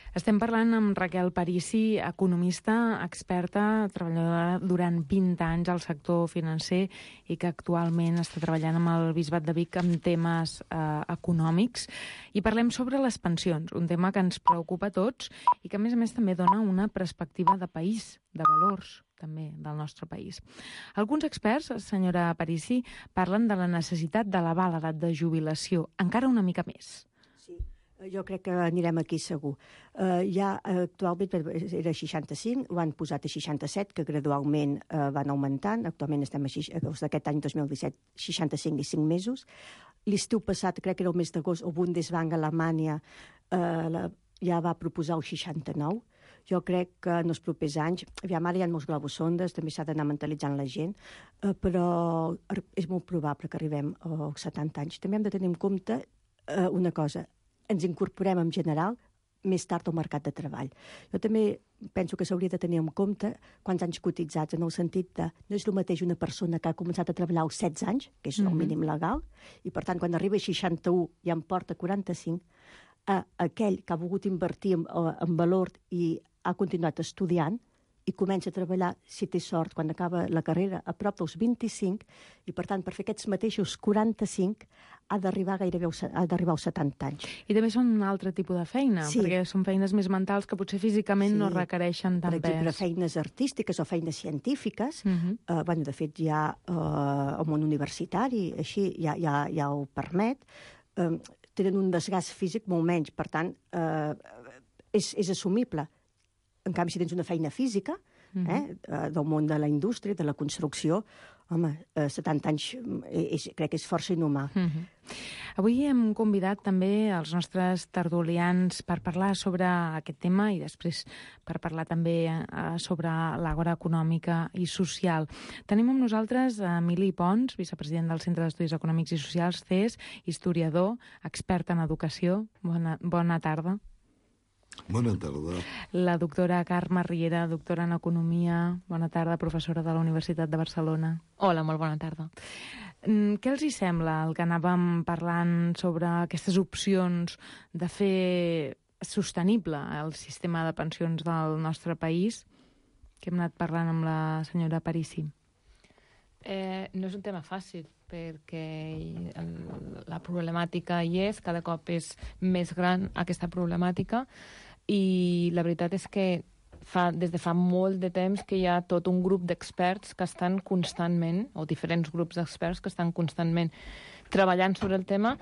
Estem parlant amb Raquel Parisi, economista, experta, treballadora durant vint anys al sector financer i que actualment està treballant amb el Bisbat de Vic amb temes eh, econòmics. I parlem sobre les pensions, un tema que ens preocupa a tots i que, a més a més, també dona una perspectiva de país, de valors també del nostre país. Alguns experts, senyora Parisi, parlen de la necessitat d'elevar l'edat de jubilació encara una mica més. Jo crec que anirem aquí segur. Uh, ja actualment era seixanta-cinc, ho han posat a seixanta-set, que gradualment uh, van augmentant. Actualment estem a d'aquest any dos mil disset, seixanta-cinc i cinc mesos. L'estiu passat, crec que era el mes d'agost, el Bundesbank a Alemanya uh, la, ja va proposar el seixanta-nou. Jo crec que en els propers anys, aviam, ara hi ha molts globus sondes, també s'ha d'anar mentalitzant la gent, uh, però és molt probable que arribem als setanta anys. També hem de tenir en compte uh, una cosa, ens incorporem en general més tard al mercat de treball. Jo també penso que s'hauria de tenir en compte quants anys cotitzats, en el sentit de no és el mateix una persona que ha començat a treballar als setze anys, que és el mínim legal, i per tant quan arriba a seixanta-u i en porta quaranta-cinc, a aquell que ha volgut invertir en, en valor i ha continuat estudiant i comença a treballar, si té sort, quan acaba la carrera, a prop dels vint-i-cinc, i per tant, per fer aquests mateixos quaranta-cinc, ha d'arribar gairebé ha d'arribar als setanta anys. I també són un altre tipus de feina, sí. perquè són feines més mentals que potser físicament sí. no requereixen tant pes. Per exemple, feines artístiques o feines científiques, uh -huh. eh, bueno, de fet, ja eh, el món universitari, així, ja, ja, ja ho permet, eh, tenen un desgast físic molt menys, per tant, eh, és, és assumible. En canvi, si tens una feina física, mm-hmm. eh, del món de la indústria, de la construcció, home, eh, setanta anys és, crec que és força inhumà. Mm-hmm. Avui hem convidat també els nostres tertulians per parlar sobre aquest tema i després per parlar també eh, sobre l'àgora econòmica i social. Tenim amb nosaltres Emili Pons, vicepresident del Centre d'Estudis Econòmics i Socials, C E S, historiador, expert en educació. Bona, bona tarda. Bona tarda. La doctora Carme Riera, doctora en Economia. Bona tarda, professora de la Universitat de Barcelona. Hola, molt bona tarda. Què els hi sembla el que anàvem parlant sobre aquestes opcions de fer sostenible el sistema de pensions del nostre país? Que hem anat parlant amb la senyora Parisi. Eh, no és un tema fàcil, perquè la problemàtica hi és, cada cop és més gran aquesta problemàtica, i la veritat és que fa, des de fa molt de temps que hi ha tot un grup d'experts que estan constantment, o diferents grups d'experts que estan constantment treballant sobre el tema,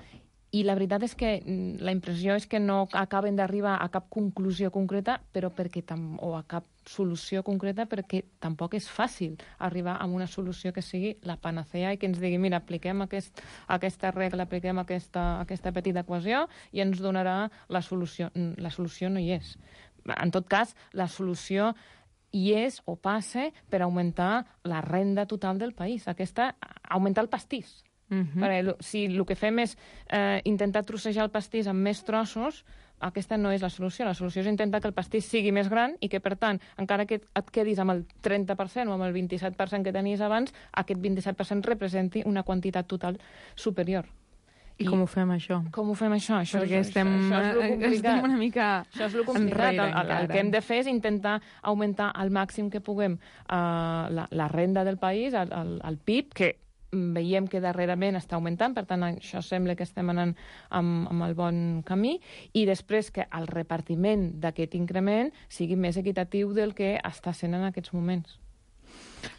i la veritat és que la impressió és que no acaben d'arribar a cap conclusió concreta, però perquè tam o a cap solució concreta, perquè tampoc és fàcil arribar a una solució que sigui la panacea i que ens digui, mira, apliquem aquest, aquesta regla, apliquem aquesta, aquesta petita equació i ens donarà la solució. La solució no hi és. En tot cas, la solució hi és o passa per augmentar la renda total del país, aquesta, augmentar el pastís. Uh-huh. Perquè si el que fem és eh, intentar trossejar el pastís amb més trossos, aquesta no és la solució. La solució és intentar que el pastís sigui més gran i que, per tant, encara que et quedis amb el trenta per cent o amb el vint-i-set per cent que tenies abans, aquest vint-i-set per cent representi una quantitat total superior. I, I com ho fem, això? Com ho fem, això? això Perquè és, estem, això, això estem una mica això és el complicat. El, el, el que hem de fer és intentar augmentar al màxim que puguem uh, la, la renda del país, el, el, el P I B, que veiem que darrerament està augmentant, per tant, això sembla que estem anant amb, amb el bon camí, i després que el repartiment d'aquest increment sigui més equitatiu del que està sent en aquests moments.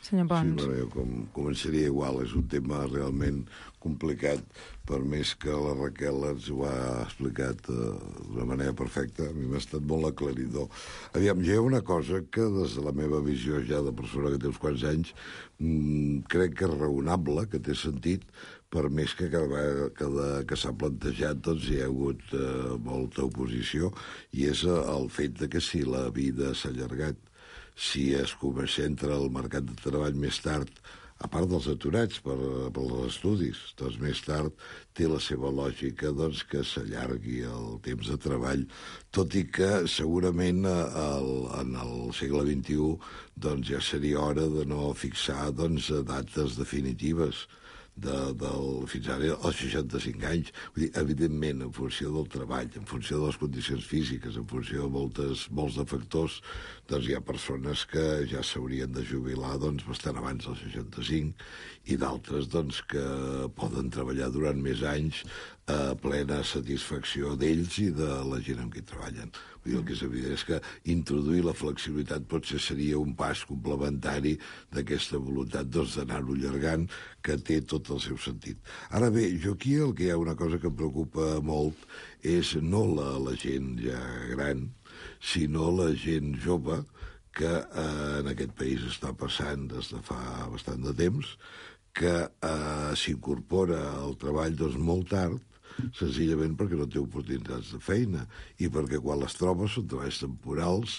Senyor Pons. Sí, bueno, jo com, començaria igual. És un tema realment complicat, per més que la Raquel ens ho ha explicat uh, d'una manera perfecta. A mi m'ha estat molt aclaridor. Aviam, hi ha una cosa que des de la meva visió ja de persona que té uns quants anys mmm, crec que és raonable, que té sentit, per més que cada vegada que, que s'ha plantejat doncs hi ha hagut uh, molta oposició, i és uh, el fet de que si la vida s'ha allargat, si es comença a entrar al mercat de treball més tard, a part dels aturats per, per els estudis. Doncs més tard té la seva lògica doncs, que s'allargui el temps de treball, tot i que segurament el, en el segle vint-i-u doncs, ja seria hora de no fixar doncs, dates definitives. De, del, fins ara als seixanta-cinc anys. Vull dir, evidentment, en funció del treball, en funció de les condicions físiques, en funció de moltes, molts de factors, doncs hi ha persones que ja s'haurien de jubilar doncs, bastant abans dels seixanta-cinc i d'altres doncs, que poden treballar durant més anys a plena satisfacció d'ells i de la gent amb qui treballen. Vull dir, el que és evident és que introduir la flexibilitat potser seria un pas complementari d'aquesta voluntat doncs, d'anar-ho allargant, que té tot el seu sentit. Ara bé, jo aquí el que hi ha una cosa que em preocupa molt és no la, la gent ja gran, sinó la gent jove que eh, en aquest país està passant des de fa bastant de temps, que eh, s'incorpora al treball doncs, molt tard, senzillament perquè no té oportunitats de feina i perquè quan les troba són treballs temporals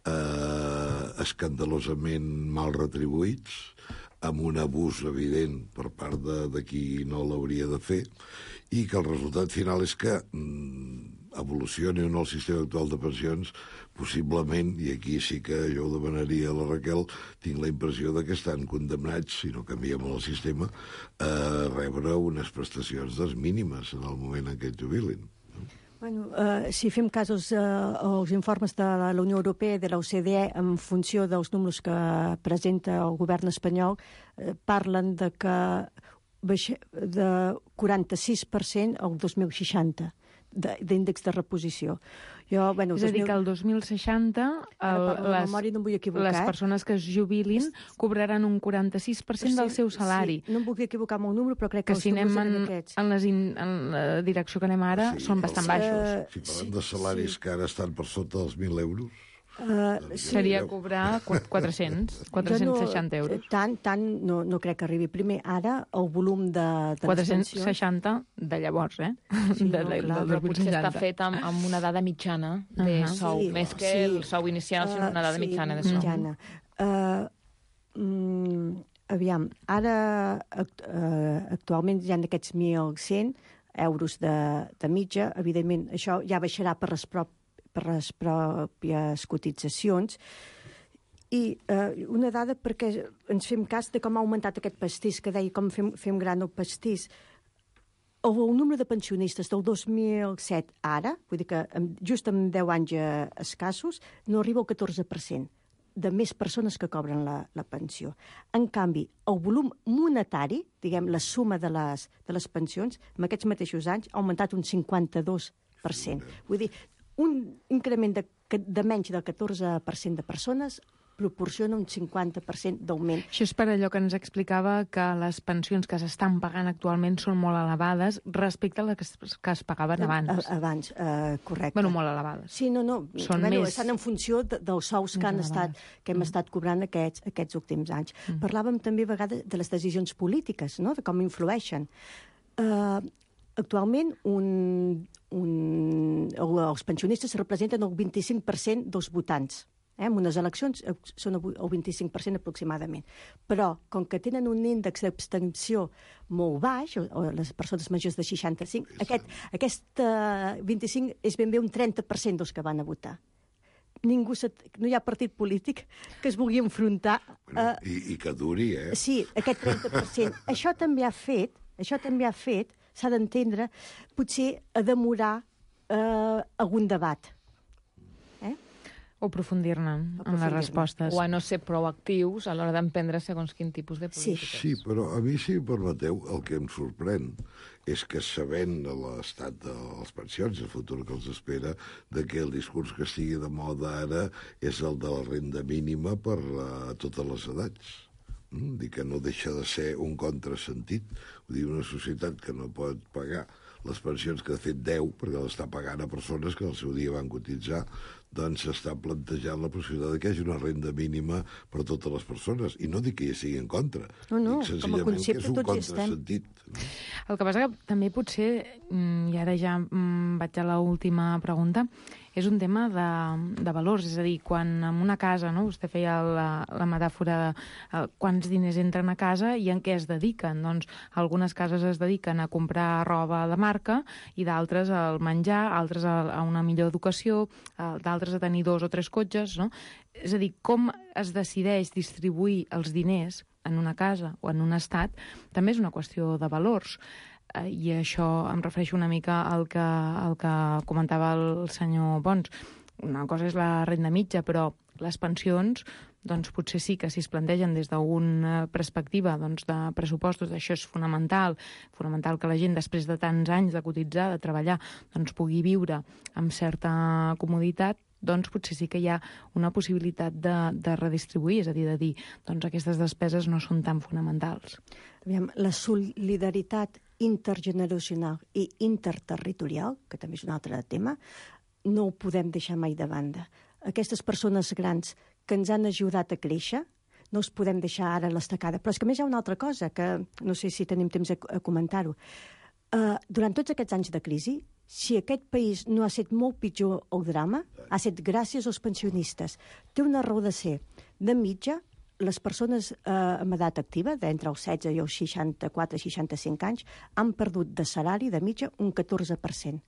eh, escandalosament mal retribuïts, amb un abús evident per part de, de qui no l'hauria de fer, i que el resultat final és que mm, evolucioni o no el sistema actual de pensions, possiblement, i aquí sí que jo ho demanaria a la Raquel, tinc la impressió de que estan condemnats, si no canviem el sistema, a rebre unes prestacions dels mínimes en el moment en què es jubilin. Bueno, eh, si fem casos eh, als informes de la Unió Europea i de l'O C D E en funció dels números que presenta el govern espanyol, eh, parlen de que baixa, de quaranta-sis per cent al dos mil seixanta d'índex de reposició. Jo, bueno, és a dir, que el dos mil seixanta el, les, memòria, no les persones que es jubilin cobraran un quaranta-sis per cent sí, del seu salari. Sí, no em vull equivocar amb el número, però crec que, que els si anem en, aquests. En, les in, en la direcció que anem ara sí, són bastant baixos. Si parlem de salaris sí. que ara estan per sota dels mil euros, Uh, sí. Seria cobrar quatre-cents, quatre-cents seixanta euros. Tant, tant no, no crec que arribi. Primer, ara, el volum de, de quatre-cents seixanta de llavors, eh? Sí, de, no, de, clar, del però potser està fet amb, amb una dada mitjana de uh -huh. sou, sí, més que sí. el sou inicial, sinó una dada uh, sí, mitjana de sou. Mitjana. Uh, mm, aviam, ara uh, actualment hi ha aquests mil cent euros de, de mitja. Evidentment, això ja baixarà per les pròpies per les pròpies cotitzacions. I eh, una dada perquè ens fem cas de com ha augmentat aquest pastís, que deia com fem, fem gran el pastís. El, el número de pensionistes del dos mil set ara, vull dir que just en deu anys eh, escassos, no arriba al catorze per cent de més persones que cobren la, la pensió. En canvi, el volum monetari, diguem, la suma de les, de les pensions, en aquests mateixos anys, ha augmentat un cinquanta-dos per cent. Vull dir, un increment de, de menys del catorze per cent de persones proporciona un cinquanta per cent d'augment. Això és per allò que ens explicava que les pensions que s'estan pagant actualment són molt elevades respecte a les que es, que es pagaven abans. Abans, uh, correcte. Bueno, molt elevades. Sí, no, no. Són bueno, més... Estan en funció de, dels sous que, han estat, que hem mm. estat cobrant aquests, aquests últims anys. Mm. Parlàvem també a vegades de les decisions polítiques, no? De com influeixen. Uh, Actualment, un, un, els pensionistes representen el vint-i-cinc per cent dels votants. Eh? En unes eleccions són el vint-i-cinc per cent aproximadament. Però, com que tenen un índex d'abstenció molt baix, o, o les persones majors de seixanta-cinc, aquest, aquest uh, vint-i-cinc és ben bé un trenta per cent dels que van a votar. Ningú se, no hi ha partit polític que es vulgui enfrontar... Bueno, uh, i, I que duri, eh? Sí, aquest trenta per cent. Això també ha fet, això també ha fet, s'ha d'entendre, potser a demorar eh, algun debat. Eh? O aprofundir-ne en les respostes. O a no ser proactius a l'hora d'emprendre segons quin tipus de polítiques. Sí, però a mi, si em permeteu, el que em sorprèn és que sabent l'estat de les pensions, el futur que els espera, de que el discurs que estigui de moda ara és el de la renda mínima per a totes les edats. Mm? Dir que no deixa de ser un contrasentit. Vull dir, una societat que no pot pagar les pensions que de fet deu, perquè l'està pagant a persones que al seu dia van cotitzar, doncs s'està plantejant la possibilitat que hi hagi una renda mínima per a totes les persones. I no dic que hi sigui en contra. No, no, dic com a concepte tots hi estem. El que passa que també potser, i ara ja vaig a l'última pregunta, és un tema de, de valors, és a dir, quan en una casa, no? Vostè feia la, la metàfora de uh, quants diners entren a casa i en què es dediquen. Doncs algunes cases es dediquen a comprar roba de marca i d'altres al menjar, altres a, a una millor educació, uh, d'altres a tenir dos o tres cotxes, no? És a dir, com es decideix distribuir els diners en una casa o en un estat també és una qüestió de valors. Eh, I això em refereixo una mica al que, al que comentava el senyor Pons. Una cosa és la renda mitja, però les pensions, doncs potser sí que si es plantegen des d'una perspectiva doncs, de pressupostos, això és fonamental, fonamental que la gent després de tants anys de cotitzar, de treballar, doncs pugui viure amb certa comoditat, doncs potser sí que hi ha una possibilitat de, de redistribuir, és a dir, de dir, doncs aquestes despeses no són tan fonamentals. Aviam, la solidaritat intergeneracional i interterritorial, que també és un altre tema, no ho podem deixar mai de banda. Aquestes persones grans que ens han ajudat a créixer, no els podem deixar ara a l'estacada. Però és que a més hi ha una altra cosa, que no sé si tenim temps a, a comentar-ho. Uh, durant tots aquests anys de crisi, si aquest país no ha estat molt pitjor el drama, ha estat gràcies als pensionistes. Té una raó de ser. De mitja, les persones eh, amb edat activa, d'entre els setze i els seixanta-quatre a seixanta-cinc anys, han perdut de salari de mitja un catorze per cent.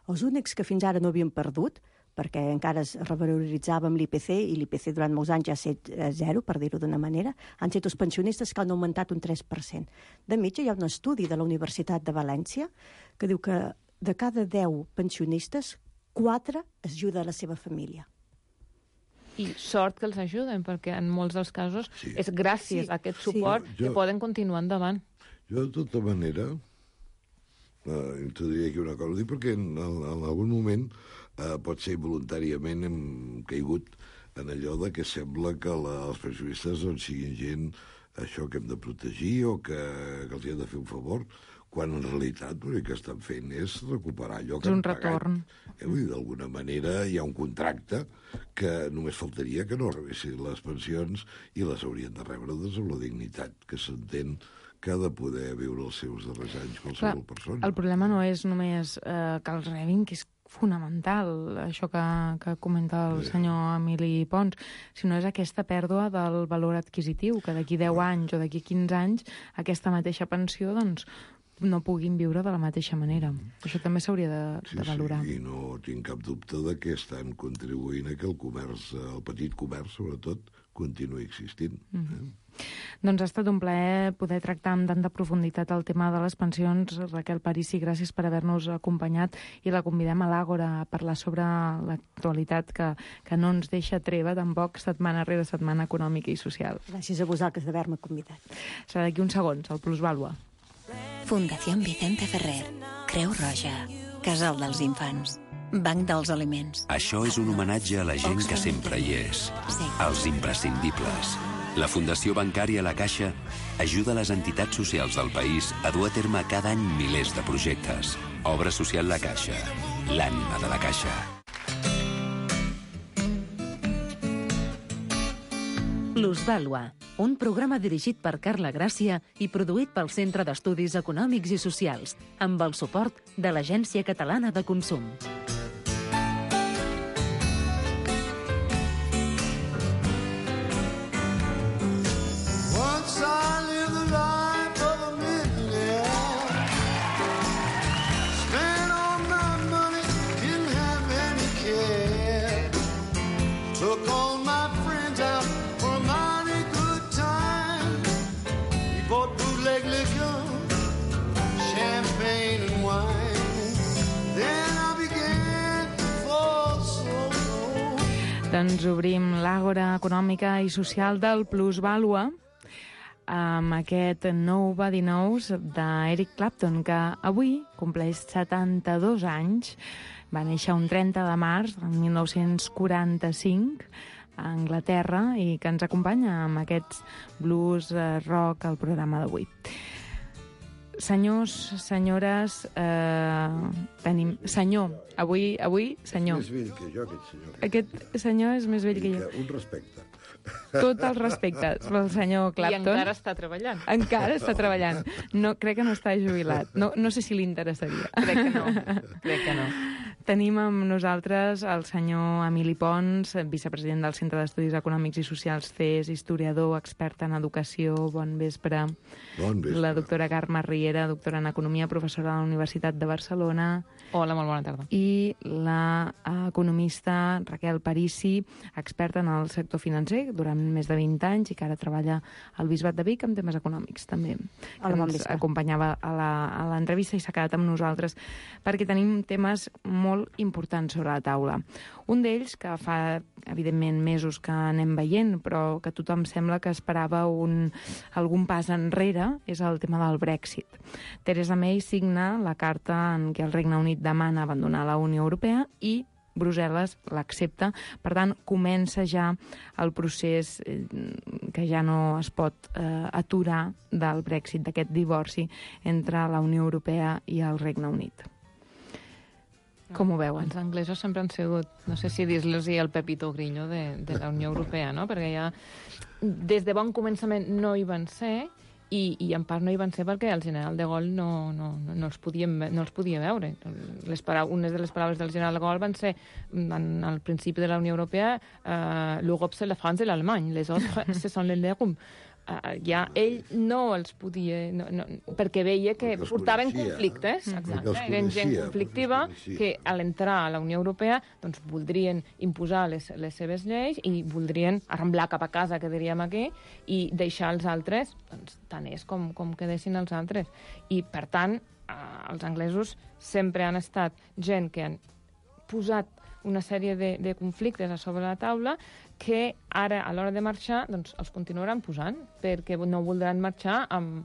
Els únics que fins ara no havien perdut, perquè encara es revaloritzava amb l'I P C, i l'I P C durant molts anys ja ha estat zero, per dir-ho d'una manera, han estat els pensionistes que han augmentat un tres per cent. De mitja, hi ha un estudi de la Universitat de València que diu que de cada deu pensionistes, quatre es ajuda a la seva família. I sort que els ajuden, perquè en molts dels casos sí. és gràcies sí. a aquest suport sí. que Jo- poden continuar endavant. Jo, de tota manera, eh, introduiria aquí una cosa, ho dic perquè en, en, en algun moment eh, pot ser voluntàriament hem caigut en allò de que sembla que la, els pensionistes doncs, siguin gent això que hem de protegir o que, que els hi hem de fer un favor, quan en realitat l'únic que estan fent és recuperar allò que És un han pagat. retorn. Eh, vull dir, d'alguna manera hi ha un contracte que només faltaria que no rebessin les pensions i les haurien de rebre doncs, amb la dignitat que s'entén que ha de poder viure els seus darrers anys qualsevol persona. El problema no és només eh, que els rebin, que és fonamental, això que, que comenta el senyor Emili Pons, sinó és aquesta pèrdua del valor adquisitiu, que d'aquí deu anys o d'aquí quinze anys aquesta mateixa pensió doncs, no puguin viure de la mateixa manera. Això també s'hauria de, Sí, de valorar. sí, i no tinc cap dubte de que estan contribuint a que el comerç, el petit comerç, sobretot, continuï existint. Mhm. Doncs ha estat un plaer poder tractar amb tanta profunditat el tema de les pensions. Raquel Parisi, gràcies per haver-nos acompanyat i la convidem a l'Àgora a parlar sobre l'actualitat que, que no ens deixa treva tampoc setmana rere setmana econòmica i social. Gràcies a vosaltres d'haver-me convidat. Serà d'aquí uns segons, el Plusvàlua. Fundació Vicente Ferrer, Creu Roja, Casal dels Infants, Banc dels Aliments. Això és un homenatge a la gent que sempre hi és. Sí. Els imprescindibles. La Fundació Bancària La Caixa ajuda les entitats socials del país a dur a terme cada any milers de projectes. Obra social La Caixa. L'ànima de la Caixa. Plusvàlua, un programa dirigit per Carla Gràcia i produït pel Centre d'Estudis Econòmics i Socials, amb el suport de l'Agència Catalana de Consum. Once I lived the life of a millionaire. Spent all my money, didn't have any care. Took all my friends out for a mighty good time. We bought bootleg liquor, champagne and wine. Then I began to fall so low. Doncs obrim l'Àgora econòmica i social del Plusvàlua amb aquest nou Body Knows d'Eric Clapton, que avui compleix setanta-dos anys. Va néixer un trenta de març del mil nou-cents quaranta-cinc a Anglaterra i que ens acompanya amb aquests blues eh, rock al programa d'avui. Senyors, senyores, eh, tenim... Senyor, avui, avui, senyor. És més vell que jo, aquest senyor. Aquest senyor és més vell que jo. Un respecte. Tot el respecte pel senyor Clapton. I encara està treballant. Encara està treballant. No, crec que no està jubilat. No, no sé si li interessaria. Crec que no. Crec que no. Tenim amb nosaltres el senyor Emili Pons, vicepresident del Centre d'Estudis Econòmics i Socials C E S, historiador, expert en educació. Bon vespre. Bon vespre. La doctora Carme Riera, doctora en Economia, professora de la Universitat de Barcelona. Hola, molt bona tarda. I la economista Raquel Parisi, experta en el sector financer durant més de vint anys i que ara treballa al Bisbat de Vic amb temes econòmics, també. Hola, bon ens vespre. acompanyava a la- a l'entrevista i s'ha quedat amb nosaltres perquè tenim temes molt importants sobre la taula. Un d'ells, que fa, evidentment, mesos que anem veient, però que tothom sembla que esperava un, algun pas enrere, és el tema del Brexit. Theresa May signa la carta en què el Regne Unit demana abandonar la Unió Europea i Brussel·les l'accepta. Per tant, comença ja el procés eh, que ja no es pot eh, aturar del Brexit, d'aquest divorci entre la Unió Europea i el Regne Unit. Com ho veuen? Els anglesos sempre han sigut, no sé si dir-los el Pepito Grillo de, de la Unió Europea, no? Perquè ja des de bon començament no hi van ser i, i en part no hi van ser perquè el general de Gaulle no, no, no, no, els, podien, no els podia veure. Les parau- unes de les paraules del general de Gaulle van ser, en, al principi de la Unió Europea, uh, l'Europe c'est la France et l'Allemagne, les autres ce sont les lègums. Uh, ja ell no els podia... No, no, perquè veia que Perquè els portaven coneixia. conflictes, Perquè exacte, els eren gent coneixia, conflictiva perquè els coneixia. que a l'entrar a la Unió Europea doncs, voldrien imposar les, les seves lleis i voldrien arramblar cap a casa, que diríem aquí, i deixar els altres, doncs, tant és com, com que deixin els altres. I, per tant, eh, els anglesos sempre han estat gent que han posat una sèrie de, de conflictes a sobre la taula que ara, a l'hora de marxar, doncs, els continuaran posant, perquè no voldran marxar amb,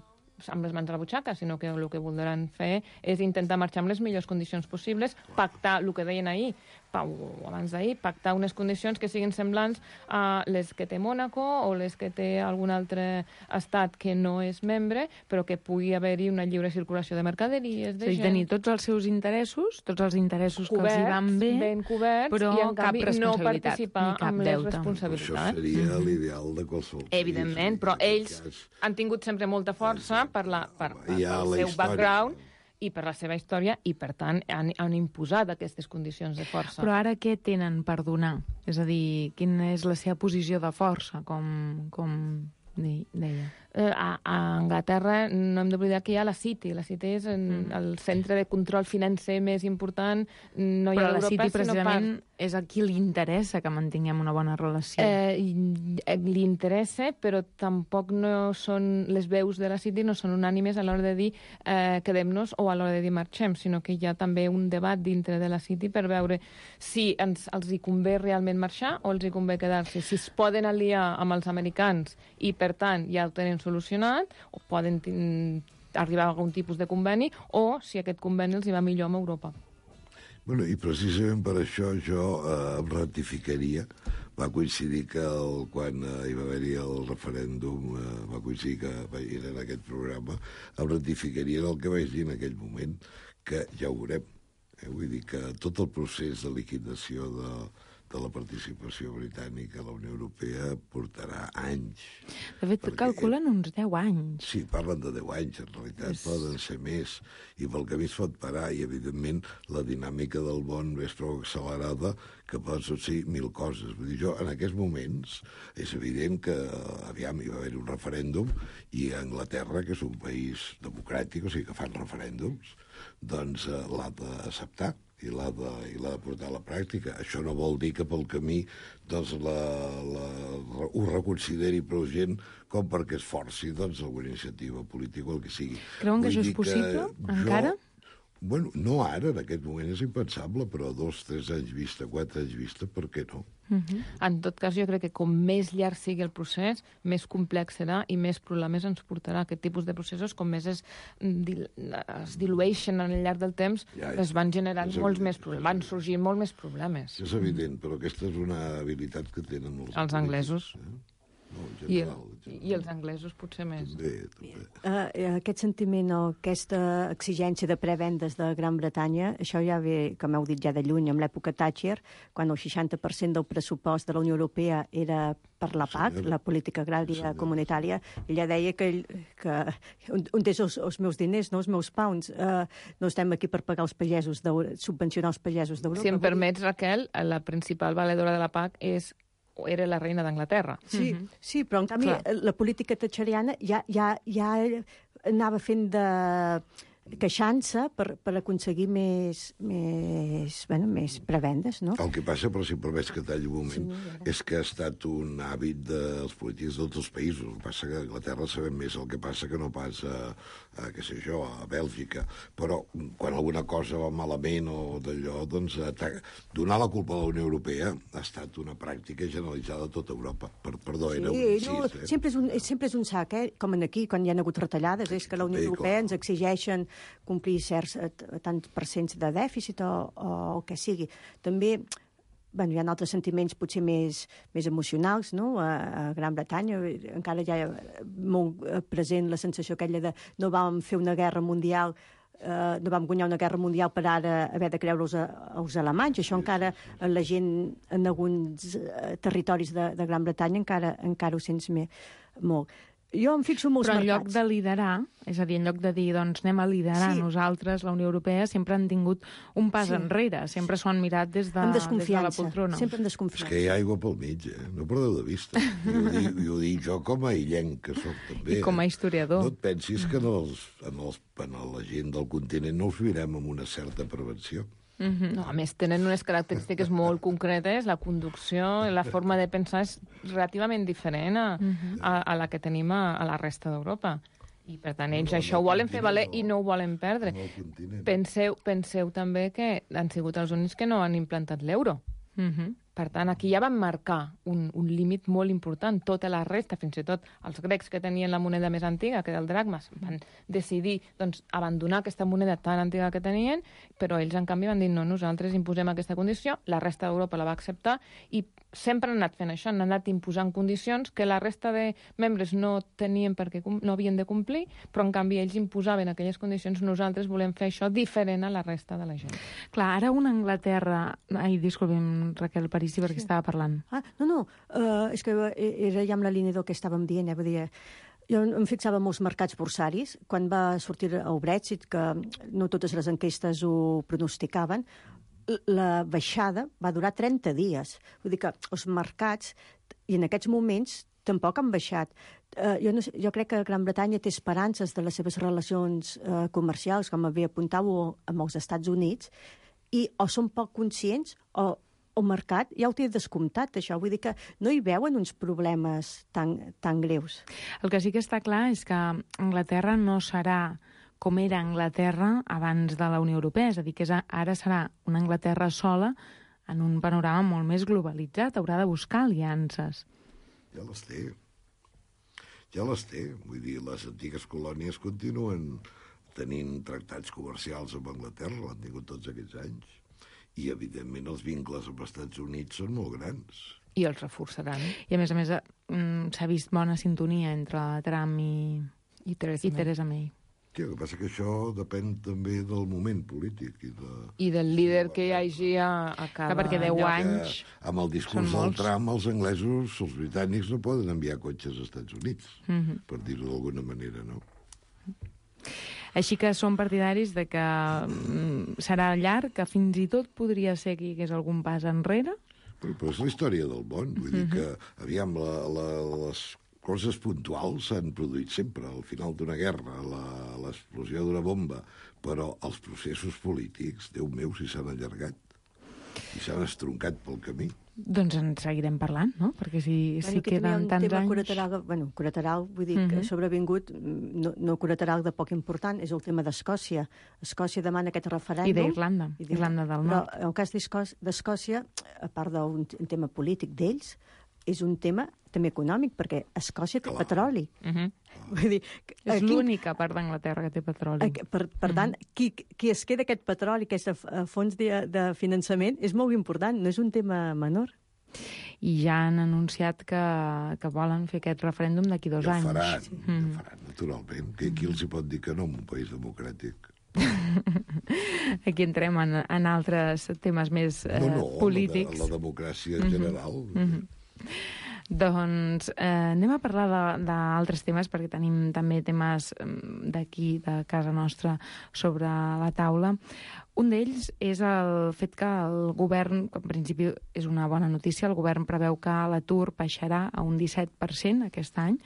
amb les mans a la butxaca, sinó que el que voldran fer és intentar marxar amb les millors condicions possibles, pactar, el que deien ahir, o abans d'ahir, pactar unes condicions que siguin semblants a les que té Mònaco o les que té algun altre estat que no és membre, però que pugui haver-hi una lliure circulació de mercaderies, de És a dir, gent... tenir tots els seus interessos, tots els interessos que els hi van bé, ben coberts, però i en cap canvi no responsabilitat, participar ni cap amb les deute. Això responsabilitats. seria l'ideal de qualsevol país. Evidentment, però ells han tingut sempre molta força per, la, per, per, Hi ha pel la seu història. background i per la seva història, i per tant han, han imposat aquestes condicions de força. Però ara què tenen per donar? És a dir, quina és la seva posició de força, com, com deia? Eh, a, a Anglaterra no hem d'oblidar que hi ha la City. La City és en, mm. el centre de control financer més important. No hi ha Però la Europa, City precisament part... és a qui li interessa que mantinguem una bona relació. Eh, li interessa, però tampoc no són... Les veus de la City no són unànimes a l'hora de dir eh, quedem-nos o a l'hora de dir marxem, sinó que hi ha també un debat dintre de la City per veure si ens, els hi convé realment marxar o els hi convé quedar-se. Si es poden aliar amb els americans i, per tant, ja ho tenen solucionat, o poden arribar a algun tipus de conveni, o si aquest conveni els hi va millor amb Europa. Bueno, i precisament per això jo eh, em ratificaria. Va coincidir que el, quan eh, hi va haver-hi el referèndum, eh, va coincidir que va, era en aquest programa, em ratificaria del que vaig dir en aquell moment, que ja ho veurem. Eh? Vull dir que tot el procés de liquidació de, de la participació britànica a la Unió Europea portarà anys. De fet, calculen uns deu anys. Sí, parlen de deu anys, en realitat és... poden ser més, i pel camí es pot parar, i evidentment la dinàmica del món és prou accelerada que pot succeir mil coses. Vull dir, jo, en aquests moments, és evident que, aviam, hi va haver un referèndum, i a Anglaterra, que és un país democràtic, o sigui que fan referèndums, doncs eh, l'ha d'acceptar i l'ha de, i l'ha de portar a la pràctica. Això no vol dir que pel camí doncs, la, la, ho reconsideri prou gent com perquè es forci doncs, alguna iniciativa política o el que sigui. Creuen que Vull això és dir possible, jo, encara? Bueno, no ara, en aquest moment és impensable, però dos, tres anys vista, quatre anys vista, per què no? Uh-huh. En tot cas, jo crec que com més llarg sigui el procés, més complex serà i més problemes ens portarà. Aquest tipus de processos, com més es, dil es dilueixen al llarg del temps, ja, es van generant molts més problemes, van sorgir molt més problemes. És evident, però aquesta és una habilitat que tenen molts els anglesos. Eh? No, I, el, I els anglesos potser més. També, també. Uh, aquest sentiment o aquesta exigència de prevendes de Gran Bretanya, això ja ve, com heu dit ja de lluny, amb l'època Thatcher, quan el seixanta per cent del pressupost de la Unió Europea era per la P A C, la política agrària comunitària. Ella deia que, que on és els, els meus diners, no els meus pounds, uh, no estem aquí per pagar els pagesos, subvencionar els pagesos d'Europa. Si em permets, Raquel, la principal valedora de la P A C és era la reina d'Anglaterra. Sí, mm-hmm. sí, però en canvi Clar. la política thatcheriana ja, ja, ja anava fent de queixant-se per, per aconseguir més, més, bueno, més prebendes, no? El que passa, però si em permets que talli un moment, sí, és que ha estat un hàbit dels polítics de tots els països. El que passa que a Anglaterra sabem més el que passa que no pas a, a què sé jo, a Bèlgica. Però quan alguna cosa va malament o d'allò, doncs donar la culpa a la Unió Europea ha estat una pràctica generalitzada a tota Europa. Per, perdó, sí, era un incís, no, eh? sempre, és un, sempre és un sac, eh? Com aquí, quan hi ha hagut retallades, és que la Unió Europea ens exigeixen complir certs tants percents de dèficit o, o el que sigui. També bueno, hi ha altres sentiments potser més, més emocionals, no? A, a Gran Bretanya encara hi ha molt present la sensació aquella de no vam fer una guerra mundial, eh, no vam guanyar una guerra mundial per ara haver de creure els, els alemanys. Això encara la gent en alguns territoris de, de Gran Bretanya encara, encara ho sents més, molt. Jo em fixo molts mercats. Però en mercats. lloc de liderar, és a dir, en lloc de dir, doncs anem a liderar sí. nosaltres, la Unió Europea, sempre han tingut un pas sí. enrere, sempre s'ho han mirat des de, des de la poltrona. Sempre amb desconfiança. És que hi ha aigua pel mig, eh? No perdeu de vista. I ho, dic, i ho dic jo com a illenc, que soc també. I com a historiador. No et pensis que en, els, en, els, en la gent del continent no us mirem amb una certa prevenció. Mm-hmm. No, a més, tenen unes característiques molt concretes, la conducció, la forma de pensar és relativament diferent a, mm-hmm. a, a la que tenim a, a la resta d'Europa. I, per tant, ells no, això ho volen fer valer no, i no ho volen perdre. No penseu, penseu també que han sigut els únics que no han implantat l'euro. Mm-hmm. Per tant, aquí ja van marcar un, un límit molt important. Tota la resta, fins i tot els grecs que tenien la moneda més antiga, que era el dracmes, van decidir doncs, abandonar aquesta moneda tan antiga que tenien, però ells, en canvi, van dir no, nosaltres imposem aquesta condició, la resta d'Europa la va acceptar i sempre han anat fent això, han anat imposant condicions que la resta de membres no tenien perquè no havien de complir, però, en canvi, ells imposaven aquelles condicions. Nosaltres volem fer això diferent a la resta de la gent. Clar, ara una Anglaterra... Ai, disculpi'm, Raquel, París, sí, perquè sí. estava parlant. Ah, no, no, uh, és que era ja amb la línia del que estàvem dient, eh? Vull dir, jo em fixava en molts mercats borsaris, quan va sortir el Brexit, que no totes les enquestes ho pronosticaven, la baixada va durar trenta dies. Vull dir que els mercats, i en aquests moments, tampoc han baixat. Uh, jo, no sé, jo crec que Gran Bretanya té esperances de les seves relacions uh, comercials, com bé apuntàveu, amb els Estats Units, i o són poc conscients o el mercat ja ho té descomptat, això. Vull dir que no hi veuen uns problemes tan, tan greus. El que sí que està clar és que Anglaterra no serà com era Anglaterra abans de la Unió Europea, és a dir, que és, ara serà una Anglaterra sola en un panorama molt més globalitzat, haurà de buscar aliances. Ja les té. Ja les té. Vull dir, les antigues colònies continuen tenint tractats comercials amb Anglaterra, l'han tingut tots aquests anys. I, evidentment, els vincles amb els Estats Units són molt grans. I els reforçaran. I, a més a més, s'ha vist bona sintonia entre Trump i, I Theresa i May. Theresa May. Sí, el que passa que això depèn també del moment polític. I, de... I del líder que hi hagi a, a cada... Clar, perquè deu anys... Amb el discurs del Trump, els anglesos, els britànics, no poden enviar cotxes als Estats Units, mm-hmm. per dir-ho d'alguna manera, no? Així que som partidaris de que mm, serà llarg, que fins i tot podria ser que hi hagués algun pas enrere. Però, però és la història del món. Vull mm-hmm. dir que, aviam, la, la, les coses puntuals s'han produït sempre. Al final d'una guerra, l'explosió d'una bomba. Però els processos polítics, Déu meu, si s'han allargat. I s'han estroncat pel camí. Doncs en seguirem parlant, no? Perquè si, bueno, si queden tants tema anys... Colateral, bueno, colateral, vull dir, uh-huh. que ha sobrevingut, no, no colateral de poc important, és el tema d'Escòcia. Escòcia demana aquest referèndum... I d'Irlanda, Irlanda del Nord. Però el cas d'Escòcia, a part d'un tema polític d'ells, és un tema també econòmic, perquè Escòcia té Clar. petroli. Uh-huh. Vull dir, és quin... l'única part d'Anglaterra que té petroli. Per, per tant, uh-huh. qui, qui es queda aquest petroli, aquest fons de, de finançament, és molt important, no és un tema menor. I ja han anunciat que, que volen fer aquest referèndum d'aquí dos ja anys. Faran, mm. ja faran, naturalment. Que qui els hi pot dir que no en un país democràtic? Aquí entrem en, en altres temes més eh, no, no, polítics. La, de, la democràcia en general. Mm -hmm. Doncs eh, anem a parlar d'altres temes, perquè tenim també temes d'aquí, de casa nostra, sobre la taula. Un d'ells és el fet que el govern, que en principi és una bona notícia, el govern preveu que l'atur baixarà a un disset per cent aquest any.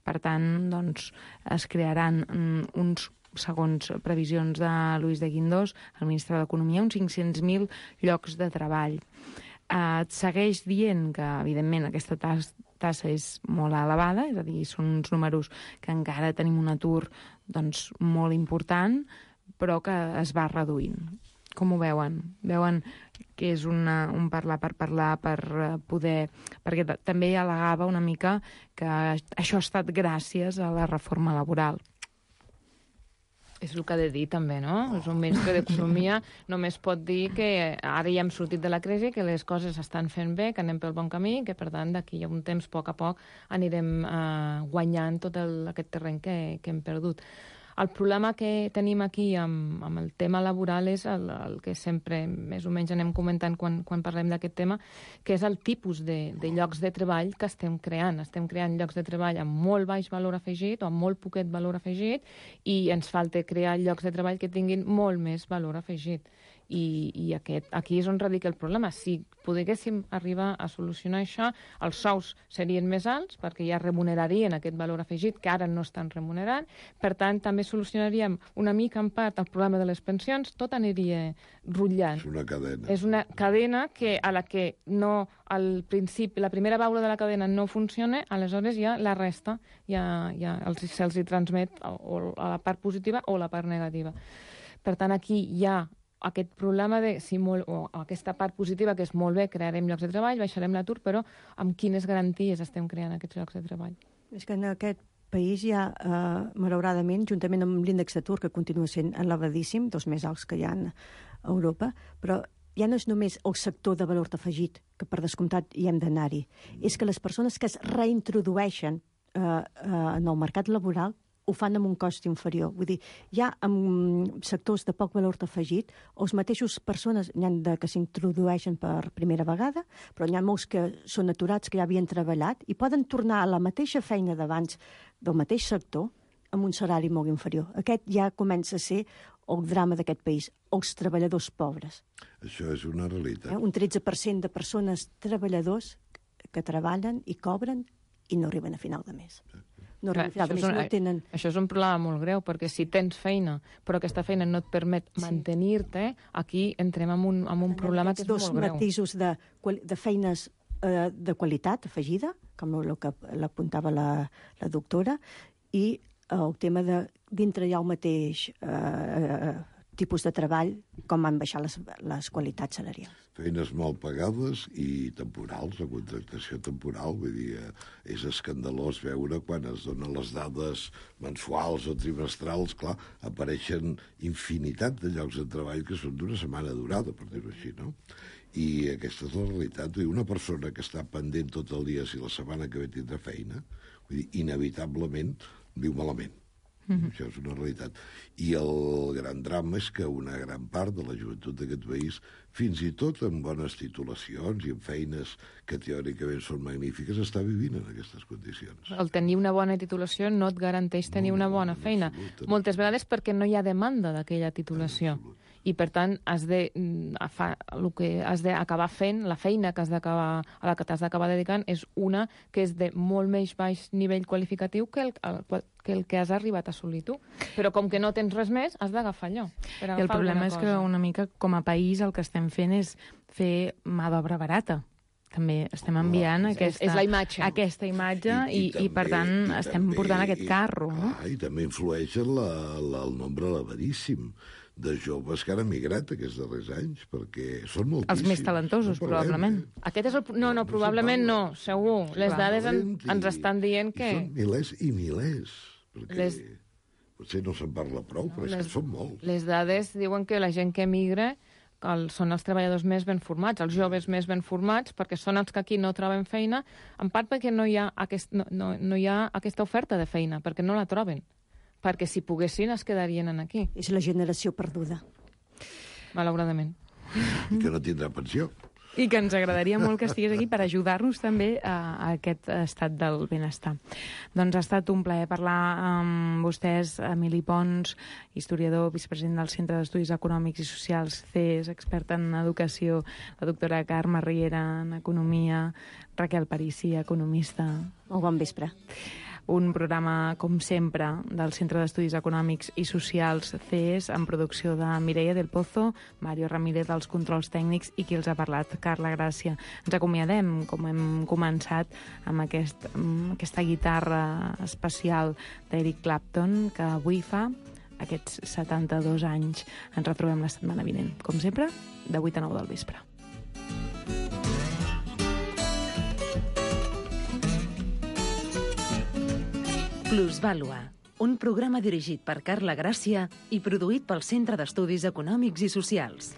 Per tant, doncs, es crearan mm, uns segons previsions de Luis de Guindos, el ministre d'Economia, uns cinc-cents mil llocs de treball. Eh, et segueix dient que, evidentment, aquesta tassa, tassa és molt elevada, és a dir, són uns números que encara tenim un atur doncs, molt important, però que es va reduint. Com ho veuen? Veuen que és una, un parlar per parlar, per poder... Perquè també al·legava una mica que això ha estat gràcies a la reforma laboral. És el que ha de dir, també, no? És un ministre d'Economia, només pot dir que ara ja hem sortit de la crisi, que les coses s'estan fent bé, que anem pel bon camí, que, per tant, d'aquí a un temps, a poc a poc, anirem eh, guanyant tot el, aquest terreny que, que hem perdut. El problema que tenim aquí amb, amb el tema laboral és el, el que sempre més o menys anem comentant quan, quan parlem d'aquest tema, que és el tipus de, de llocs de treball que estem creant. Estem creant llocs de treball amb molt baix valor afegit o amb molt poquet valor afegit i ens falta crear llocs de treball que tinguin molt més valor afegit. I, i aquest, aquí és on radica el problema. Si poguéssim arribar a solucionar això, els sous serien més alts perquè ja remunerarien aquest valor afegit que ara no estan remunerant. Per tant, també solucionaríem una mica en part el problema de les pensions, tot aniria rutllant. És una cadena. És una cadena que a la que no, al principi, la primera baula de la cadena no funciona, aleshores ja la resta ja, ja els, se'ls hi transmet o a la part positiva o la part negativa. Per tant, aquí hi ha aquest problema de, si molt, o aquesta part positiva, que és molt bé, crearem llocs de treball, baixarem l'atur, però amb quines garanties estem creant aquests llocs de treball? És que en aquest país hi ha, eh, malauradament, juntament amb l'índex d'atur, que continua sent elevadíssim, dels més alts que hi ha a Europa, però ja no és només el sector de valor afegit, que per descomptat hi hem d'anar-hi, és que les persones que es reintrodueixen eh, eh, en el mercat laboral ho fan amb un cost inferior. Vull dir, hi ha en sectors de poc valor afegit, els mateixos persones n'hi ha de que s'introdueixen per primera vegada, però n'hi ha molts que són aturats, que ja havien treballat, i poden tornar a la mateixa feina d'abans del mateix sector amb un salari molt inferior. Aquest ja comença a ser el drama d'aquest país, els treballadors pobres. Això és una realitat. Eh? Un tretze per cent de persones treballadors que treballen i cobren i no arriben a final de mes. No, Clar, això, és un, no tenen... això és un problema molt greu, perquè si tens feina, però aquesta feina no et permet sí. mantenir-te, aquí entrem en un, en un problema que és molt greu. Dos matisos de, de feines eh, de qualitat afegida, com el que l'apuntava la, la doctora, i el tema de dintre hi ha el mateix eh, tipus de treball, com han baixat les, les qualitats salarials. Feines mal pagades i temporals, la contractació temporal. Vull dir, és escandalós veure quan es donen les dades mensuals o trimestrals, clar, apareixen infinitat de llocs de treball que són d'una setmana durada, per dir-ho així, no? I aquesta és la realitat. Vull dir, una persona que està pendent tot el dia si la setmana que ve tindrà feina, vull dir, inevitablement viu malament. Mm-hmm. Això és una realitat. I el gran drama és que una gran part de la joventut d'aquest país, fins i tot amb bones titulacions i amb feines que teòricament són magnífiques, està vivint en aquestes condicions. El tenir una bona titulació no et garanteix tenir no, una bona no, feina. Absolut, Moltes vegades perquè no hi ha demanda d'aquella titulació. I, per tant, has de, fa, el que has d'acabar fent, la feina que has d'acabar, a la que t'has d'acabar dedicant, és una que és de molt més baix nivell qualificatiu que el, el, que el que has arribat a assolir tu. Però com que no tens res més, has d'agafar allò. Per I el problema és que una mica com a país el que estem fent és fer mà d'obra barata. També estem enviant no, aquesta, és la imatge. aquesta imatge i, i, i, també, i per tant, i estem també, portant aquest carro. No? Ah, I també influeix la, la, el nombre elevadíssim de joves que han emigrat aquests darrers anys, perquè són moltíssims. Els més talentosos, no probablement. Eh? Aquest és el... No, no, probablement no, segur. Les dades en, ens estan dient que... Són milers i milers, perquè les... potser no se'n parla prou, però és les... que són molts. Les dades diuen que la gent que emigra el, són els treballadors més ben formats, els joves més ben formats, perquè són els que aquí no troben feina, en part perquè no hi ha, aquest, no, no, no hi ha aquesta oferta de feina, perquè no la troben. Perquè si poguessin es quedarien aquí. És la generació perduda. Malauradament. I que no tindrà pensió. I que ens agradaria molt que estigués aquí per ajudar-nos també a, a aquest estat del benestar. Doncs ha estat un plaer parlar amb vostès, Emili Pons, historiador, vicepresident del Centre d'Estudis Econòmics i Socials, C E S, experta en educació, la doctora Carme Riera en economia, Raquel Parisi, economista. Molt bon vespre. Un programa, com sempre, del Centre d'Estudis Econòmics i Socials C E S, en producció de Mireia del Pozo, Mario Ramírez als controls tècnics i qui els ha parlat, Carla Gràcia. Ens acomiadem, com hem començat, amb, aquest, amb aquesta guitarra especial d'Eric Clapton, que avui fa aquests setanta-dos anys. Ens retrobem la setmana vinent, com sempre, de vuit a nou del vespre. Plusvàlua, un programa dirigit per Carla Gràcia i produït pel Centre d'Estudis Econòmics i Socials.